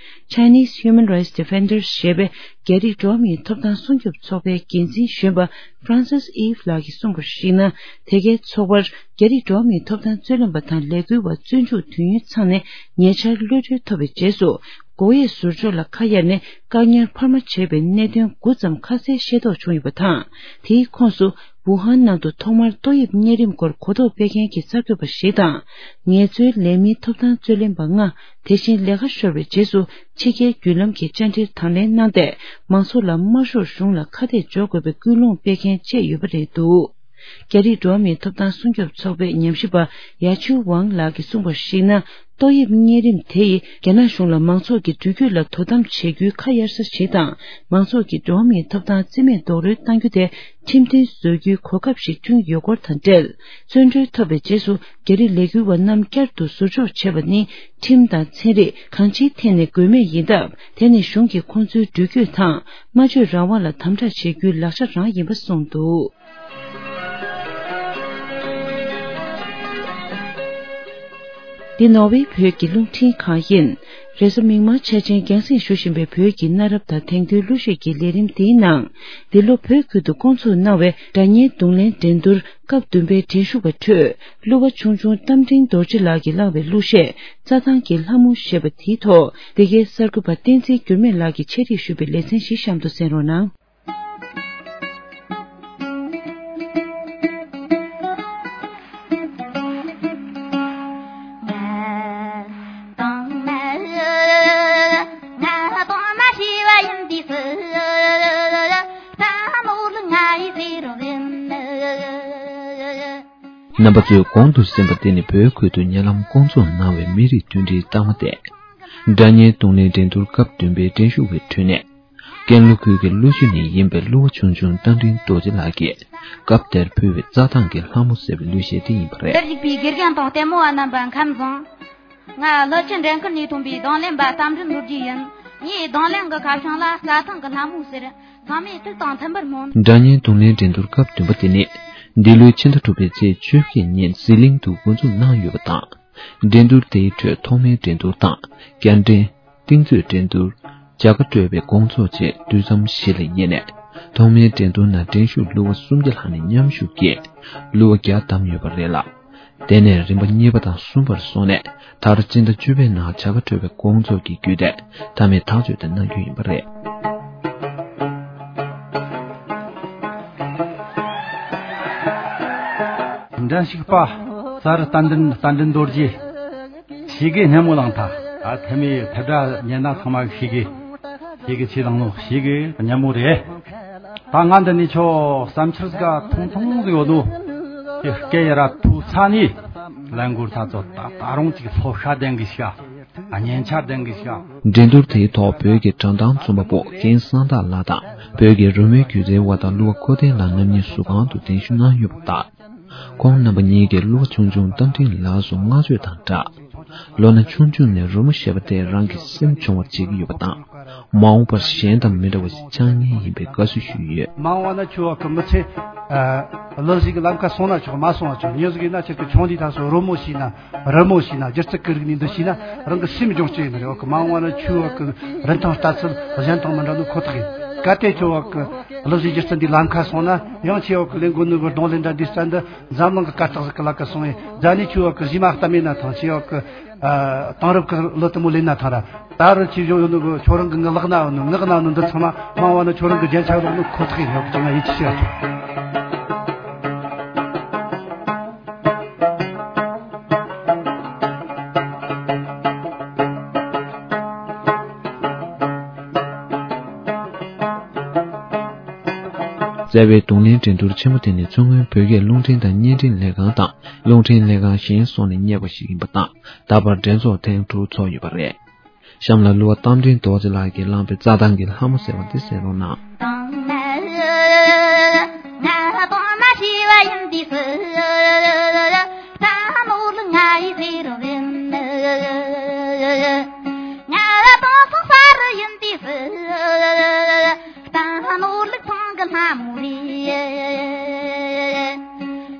Chinese Human Rights Defenders ཞེས་པའི་རྒྱ་རིགས་འགྲོ་བ་མིའི་ཐོབ་ཐང་སྲུང་སྐྱོབ་ཚོགས་པའི་འགན་འཛིན་གཞོན་པ་Francis Eve ལགས་ཀྱིས་གསུངས་པར་གཞིགས་ན། དེ་གའི་ཚོགས་པར་རྒྱ་རིགས་འགྲོ་བ་མིའི་ཐོབ་ཐང་རྩོད་ལེན་པ་དང་ལས་འགུལ་བ་བཙོན་འཇུག་དུས་ཡུན་ཚང་ནས་ཉེ་ཆར་གློད་གྲོལ་ཐོབ་པའི་རྗེས་སུ། སྒོ་དབྱེ་ཟུར་འཇོག་ལ་ཁ་གཡར་ནས་བཀག་ཉར་འཕར་མ་བྱས་པའི་གནད་དོན་དགུ་ཙམ་ཁ་གསལ་ཤེས་རྟོགས་བྱུང་ཡོད་པ་དང་། དེའི་ཁོངས་སུ། ཝུ་ཧན་ནང་དུ་ཐོག་མར་ཏོག་དབྱིབས་གཉན་རིམས་སྐོར་གོ་རྟོགས་སྤེལ་མཁན་གྱི་གསར་འགོད་པ་ཞིག་དང་། ངལ་རྩོལ་ལས་མིའི་ཐོབ་ཐང་རྩོད་ལེན་པ་ལྔ། དེ་བཞིན་ལས་ཀ་ཤོར་བའི་རྗེས་སུ་ཕྱི་རྒྱལ་བརྒྱུད་ལམ་གྱི་བཅར་འདྲིར་དང་ལེན་གནང་སྟེ། མང་ཚོགས་ལ་དམར་ཤོག་གཞུང་ལ་ཁ་གཏད་གཅོག་དགོས་པའི་སྐུལ་སློང་སྤེལ་མཁན་བཅས་ཡོད་པ་རེད་འདུག་རྒྱ་རིགས་འགྲོ་བ་མིའི་ཐོབ་ཐང་སྲུང་སྐྱོབ་ཚོགས་པའི་ཉམས་ཞིབ་པ་ཡ་ཆུའུ་ཝང་ལགས་ཀྱིས་གསུངས་པར་གཞིགས་ན། ཏོག་དབྱིབས་གཉན་རིམས་དེ་ཡིས་རྒྱ་ནག་གཞུང་ལ་མང་ཚོགས་ཀྱི་འགྲུལ་སྐྱོད་ལ་དོ་དམ་བྱེད་རྒྱུའི་ཁ་གཡར་ས་ཞིག་དང་། མང་ཚོགས་ཀྱི་འགྲོ་བ་མིའི་ཐོབ་ཐང་རྩིས་མེད་རྡོག་རོལ་གཏང་རྒྱུ་དེ་ཁྲིམས་མཐུན་བཟོ་རྒྱུའི་གོ་སྐབས་ཤིག་བསྐྲུན་ཡོད་སྐོར་དང་འབྲེལ། བཙོན་གྲོལ་ཐོབ་པའི་རྗེས་སུ་རྒྱ་རིགས་ལས་འགུལ་བ་རྣམས་བསྐྱར་དུ་ཟུར་འཇོག་བྱས་པ་ནི། ཁྲིམས་དང་ཚན་རིག་གང་ཅིའི་ཐད་ནས་དགོས་མེད་ཡིན་སྟབས། དེ་ནི་གཞུང་གིས་ཁོང་ཚོའི་འགྲུལ་སྐྱོད་དང་སྨྲ་བརྗོད་རང་དབང་ལ་དམ་དྲག་བྱེད་རྒྱུའི་ལག་ཆ་རང་ཡིན་པ་གསུངས་འདུག། འདི་ནོར་ཝེ་བོད་ཀྱི་རླུང་འཕྲིན་ཁང་ཡིན། རེས་གཟའ་མིག་དམར་འཆར་ཅན་རྒྱང་སྲིང་ཞུ་བཞིན་པའི་བོད་ཀྱི་གནའ་རབས་དང་དེང་དུས་གླུ་གཞས་ཀྱི་ལས་རིམ་འདིའི་ནང་། འདི་ལོ་བོད་ཁུལ་དུ་སྐོང་ཚོགས་གནང་བའི་སྒྲ་སྙན་རྡུང་ལེན་འགྲན་བསྡུར་སྐབས་བདུན་པའི་འགྲན་ཞུགས་པ་ཁྲོད། གླུ་བ་ཆུང་ཆུང་རྟ་མགྲིན་རྡོ་རྗེ་ལགས་ཀྱིས་བླངས་པའི་གླུ་གཞས་རྩྭ་ཐང་གི་ལྷ་མོ་ཞེས་པ་དེའི་ཐོག་འདི་གའི་གསར་འགོད་པ་བསྟན་འཛིན་འགྱུར་མེད་ལགས་ཀྱིས་ཆེད་སྒྲིག་ཞུས་པའི་ལེ་ཚན་ཞིག་གཤམ་དུ་གསན་རོགས་གནང་། རྣམ་པ་ཚོས་གོང་དུ་གསན་པ་དེ་ནི་བོད་ཁུལ་དུ་ཉེ་ལམ་སྐོང་ཚོགས་གནང་བའི་མི་རིགས་མཐུན་སྒྲིལ་རྟགས་མ་སྟེ། སྒྲ་སྙན་རྡུང་ལེན་འགྲན་བསྡུར་སྐབས་བདུན་པའི་འགྲན་ཞུགས་པའི་ཁྲོད་ནས། ཀན་ལྷོ་ཁུལ་གྱི་གླུ་གཞས་ནས་ཡིན་པའི་གླུ་བ་ཆུང་ཆུང་རྟ་མགྲིན་རྡོ་རྗེ་ལགས་ཀྱིས་སྐབས་དེར་ཕུལ་བའི་རྩྭ་ཐང་གི་ལྷ་མོ་ཟེར་བའི་གླུ་གཞས་དེ་ཡིན་པ་རེད། འདིར་བཞུགས་པའི་དགེ་རྒན་དང་ལྟད་མོ་བ་རྣམ་པ་ཁམས་བཟང་། ང་ཀླུ་ཆུ་འགྲན་ཁུལ་ནས་ཐོན་པའི་རྡུང་ལེན་པ་རྟ་མགྲིན་རྡོ་རྗེ་ཡིན། ངའི་རྡུང་ལེན་གྱི་ཁ་བྱང་ལ་རྩྭ་ཐང་གི་ལྷ་མོ་ཟེར། ཚང་མས་ཐུགས་དང་མཐུན་པར་སྨོན། སྒྲ་སྙན་རྡུང་ལེན་འགྲན་བསྡུར་སྐབས་བདུན་པ་དེ་ནི། འདི་ལོའི་ཕྱི་ཟླ་དྲུག་པའི་ཚེས་བཅུ་བཞི་ཉིན་ཟི་ལིང་དུ་འགོ་འཛུགས་གནང་ཡོད་པ་དང་། འགྲན་བསྡུར་དེའི་ཁྲོད་ཐོག་མའི་འགྲན་བསྡུར་དང་། བསྐྱར་འགྲན། རྟིང་རྩོད་འགྲན་བསྡུར། བྱ་དགའ་སྤྲོད་པའི་དགོང་ཚོགས་བཅས་དུས་མཚམས་བཞི་ལ་དབྱེ་ནས། ཐོག་མའི་འགྲན་བསྡུར་ནང་འགྲན་ཞུགས་གླུ་བ་སུམ་བརྒྱ་ལྷག་ནས་མཉམ་ཞུགས་ཀྱིས་གླུ་བ་བརྒྱ་བདམས་ཡོད་པ་རེད་ལ། དེ་ནས་རིམ་པ་གཉིས་པ་དང་གསུམ་པར་སོང་ནས། མཐར་སྤྱི་ཟླ་བཅུ་པའི་ནང་བྱ་དགའ་སྤྲོད་པའི་དགོང་ཚོགས་ཀྱི་བརྒྱུད་དེ་མཐའ་མའི་ཐག་གཅོད་དེ་གནང་རྒྱུ་ཡིན་པ་རེད། འགྲན་ཞུགས་པ། ཙཱ་རི་རྟ་མགྲིན། རྟ་མགྲིན་རྡོ་རྗེ། ཞེ་གི་སྙན་མོ་བླངས་ཐལ། ཨ་ཐེ་མི་ཐེ་བྲ་ཉན་ན་ཚང་མ་ཞེ་གི། ཞེ་གི་ཆེ་བླངས་ནོ། ཞེ་གི་སྙན་མོ་རེད། ད་ང་འདི་ནས་ཁྱོད་བསམ་འཆར་ཟིག་ཐུང་ཐུང་ཟིག་ཡོད་དོ། དེ་སྐད་ཡ་ར་ཐུག་ཚ་ནི། ལན་འགོར་ཚ་ཚོ་ད་ད་རུང་ཅིག་ལྷོ་ཤ་ལྡན་གི་ཤ། སྙན་ཆ་ལྡན་གི་ཤ། འགྲན་བསྡུར་དེའི་ཐོག་བོད་ཀྱི་དྲན་ཐང་རྩོམ་པ་པོ་རྒན་གསང་བདག་ལགས་དང་། བོད་ཀྱི་རོལ་མོའི་སྒྱུ་རྩལ་བ་དང་གླུ་བ་ཁོ་ཐེན་ལགས་རྣམ་གཉིས་གཟུགས་ཁང་དུ་གདན་ཞུ་གནང་ཡོད་པ་དང་། ཁོང་རྣམ་པ་གཉིས་ཀྱིས་གླུ་བ་ཆུང་ཆུང་རྟ་མགྲིན་ལགས་སུ་བསྔགས་བརྗོད་དང་སྦྲགས། ལོ་ན་ཆུང་ཆུང་ནས་རོལ་མོ་ཞེས་པ་དེ་རང་གི་སེམས་སྦྱོང་བར་བྱེད་ཀྱི་ཡོད་པ་དང་། མ་འོངས་པར་གཞན་དང་མི་འདྲ་བ་ཞིག་ཆགས་ངེས་ཡིན་པའི་དགའ་བསུ་ཞུས་ཡོད། མ་འོངས་པ་ན་ཁྱོད་ཀྱི་མི་ཚེ། ལག་ཟིག་གི་ལམ་ཁ་སོང་ན་ཆོག་མ་སོང་ན་ཆོག་མྱི་ཟིག་ཡིན་ན་ཁྱེད་ཀྱི་ཆུང་དུས་ད་སོ་རོལ་མོ་ཤེས་ན། རི་མོ་ཤེས་ན། སྒྱུ་རྩལ་གི་རིག་གནས་འདི་ཤེས་ན་རང་གི་སེམས་སྦྱོང་སྤྱད་ཡིན་ནི་རེད། འོ་གི་མ་འོངས་པ་ན་ཁྱོད་ཀྱི་རིན་ཐང་ལྟ་ཚུལ་གཞན་དང་མི་འདྲ་ནི་ཁོ་ཐག་ཡིན། གལ་ཏེ་ཁྱོད་འོ་གི་ལག་ཟིག་སྒྱུ་རྩལ་འདི་ལམ་ཁ་སོང་ན་ཡང་ཁྱེད་འོ་གི་ལས་འགོ་ནི་གི་རྡུང་ལེན་འདྲ་འདི་རྩལ་འདི་འཛམ་གླིང་གི་སྐད་གྲགས་ཟིག་གི་ལག་ག་སོང་ཡིན། རྫ་ནི་ཁྱོད་འོ་གི་གཞས་མ་གཏམ་ཡིན་ན་ཐང་ཁྱེད་འོ་གི་དེང་རབས་གི་གླུ་དེ་མོ་ལེན་ན་ཐང་ར། ད་རུང་ཆེ་བཞག་ཡོད་ནོ་གི་ཁྱོད་རང་གི་ངག་ལག་ན་ཡོད་ནོ་ངག་ན་ཡོད་ནོ་འདི་ཚང་མ་མ་འོངས་པ་ན་ཁྱོད་རང་གི་རྒྱན་ཆ་ལོག་ནོ་ཁོ་ཐག་ཡིན། ཡོད་ཀྱང་ང་ཡིད་ཆེས་བྱ་ཆོག་རྩ་བའི་རྡུང་ལེན་འགྲན་བསྡུར་ཆེན་མོ་དེ་ནི་མཚོ་སྔོན་བོད་སྐད་རླུང་འཕྲིན་དང་བརྙན་འཕྲིན་ལས་ཁང་དང་རླུང་འཕྲིན་ལས་ཁང་གཞན་སོགས་ནས་གཉེར་བ་ཞིག་ཡིན་པ་དང་ད་བར་འགྲན་ཚོགས་ཐེངས་དྲུག་ཚོགས་ཡོད་པ་རེད། གཤམ་ལ་གླུ་བ་རྟ་མགྲིན་རྡོ་རྗེ་ལགས་ཀྱིས་བླངས་པའི་རྩྭ་ཐང་གི་ལྷ་མོ་ཟེར་བ་འདི་གསན་རོགས་གནང་། དང་ན་ང་དང་ན་ཤེས་པ་ཡིན་དུས་སུ། རྩྭ་ནོར་ལ་ང་ཡི་ཟེར་རོ་ཡིན། ང་དང་སོང་ས་རུ་ཡིན་དུས་སུ། རྩྭ་ནོར་ལུག་ཚང་གི་ལྷ་མོ་རེད།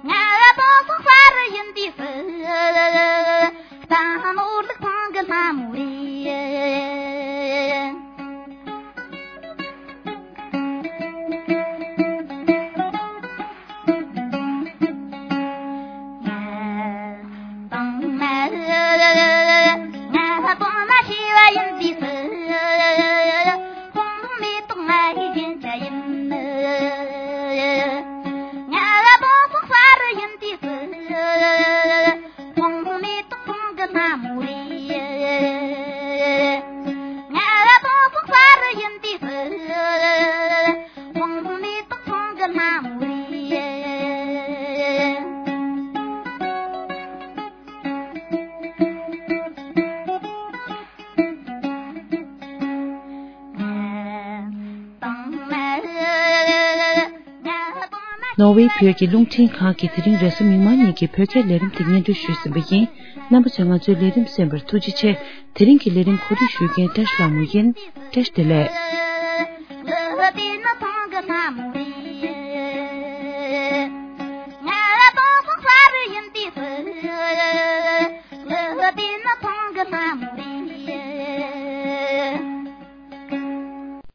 ང་དང་སོང་ས་རུ་ཡིན་དུས་སུ། རྩྭ་ནོར་ལུག་ཚང་གི་ལྷ་མོ་རེད། ང་དང་ན་ང་དང་ན་ཤེས་པ་ཡིན་དུས་སུ། ཁོང་མེ་ཏོག་ང་ཡི་རྒྱན་ཆ་ཡིན། ནོར་ཝེ་བོད་ཀྱི་རླུང་འཕྲིན་ཁང་གིས་དེ་རིང་རེས་གཟའ་མིག་དམར་ཉིན་གྱི་བོད་སྐད་ལས་རིམ་དེ་སྙན་སྒྲོན་ཞུས་ཟིན་པ་ཡིན། རྣམ་པ་ཚོས་ང་ཚོའི་ལས་རིམ་གསན་པར་ཐུགས་རྗེ་ཆེ། དེ་རིང་གི་ལས་རིམ་གོ་སྒྲིག་ཞུ་མཁན་བཀྲ་ཤིས་ལྷ་མོ་ཡིན། བཀྲ་ཤིས་བདེ་ལེགས།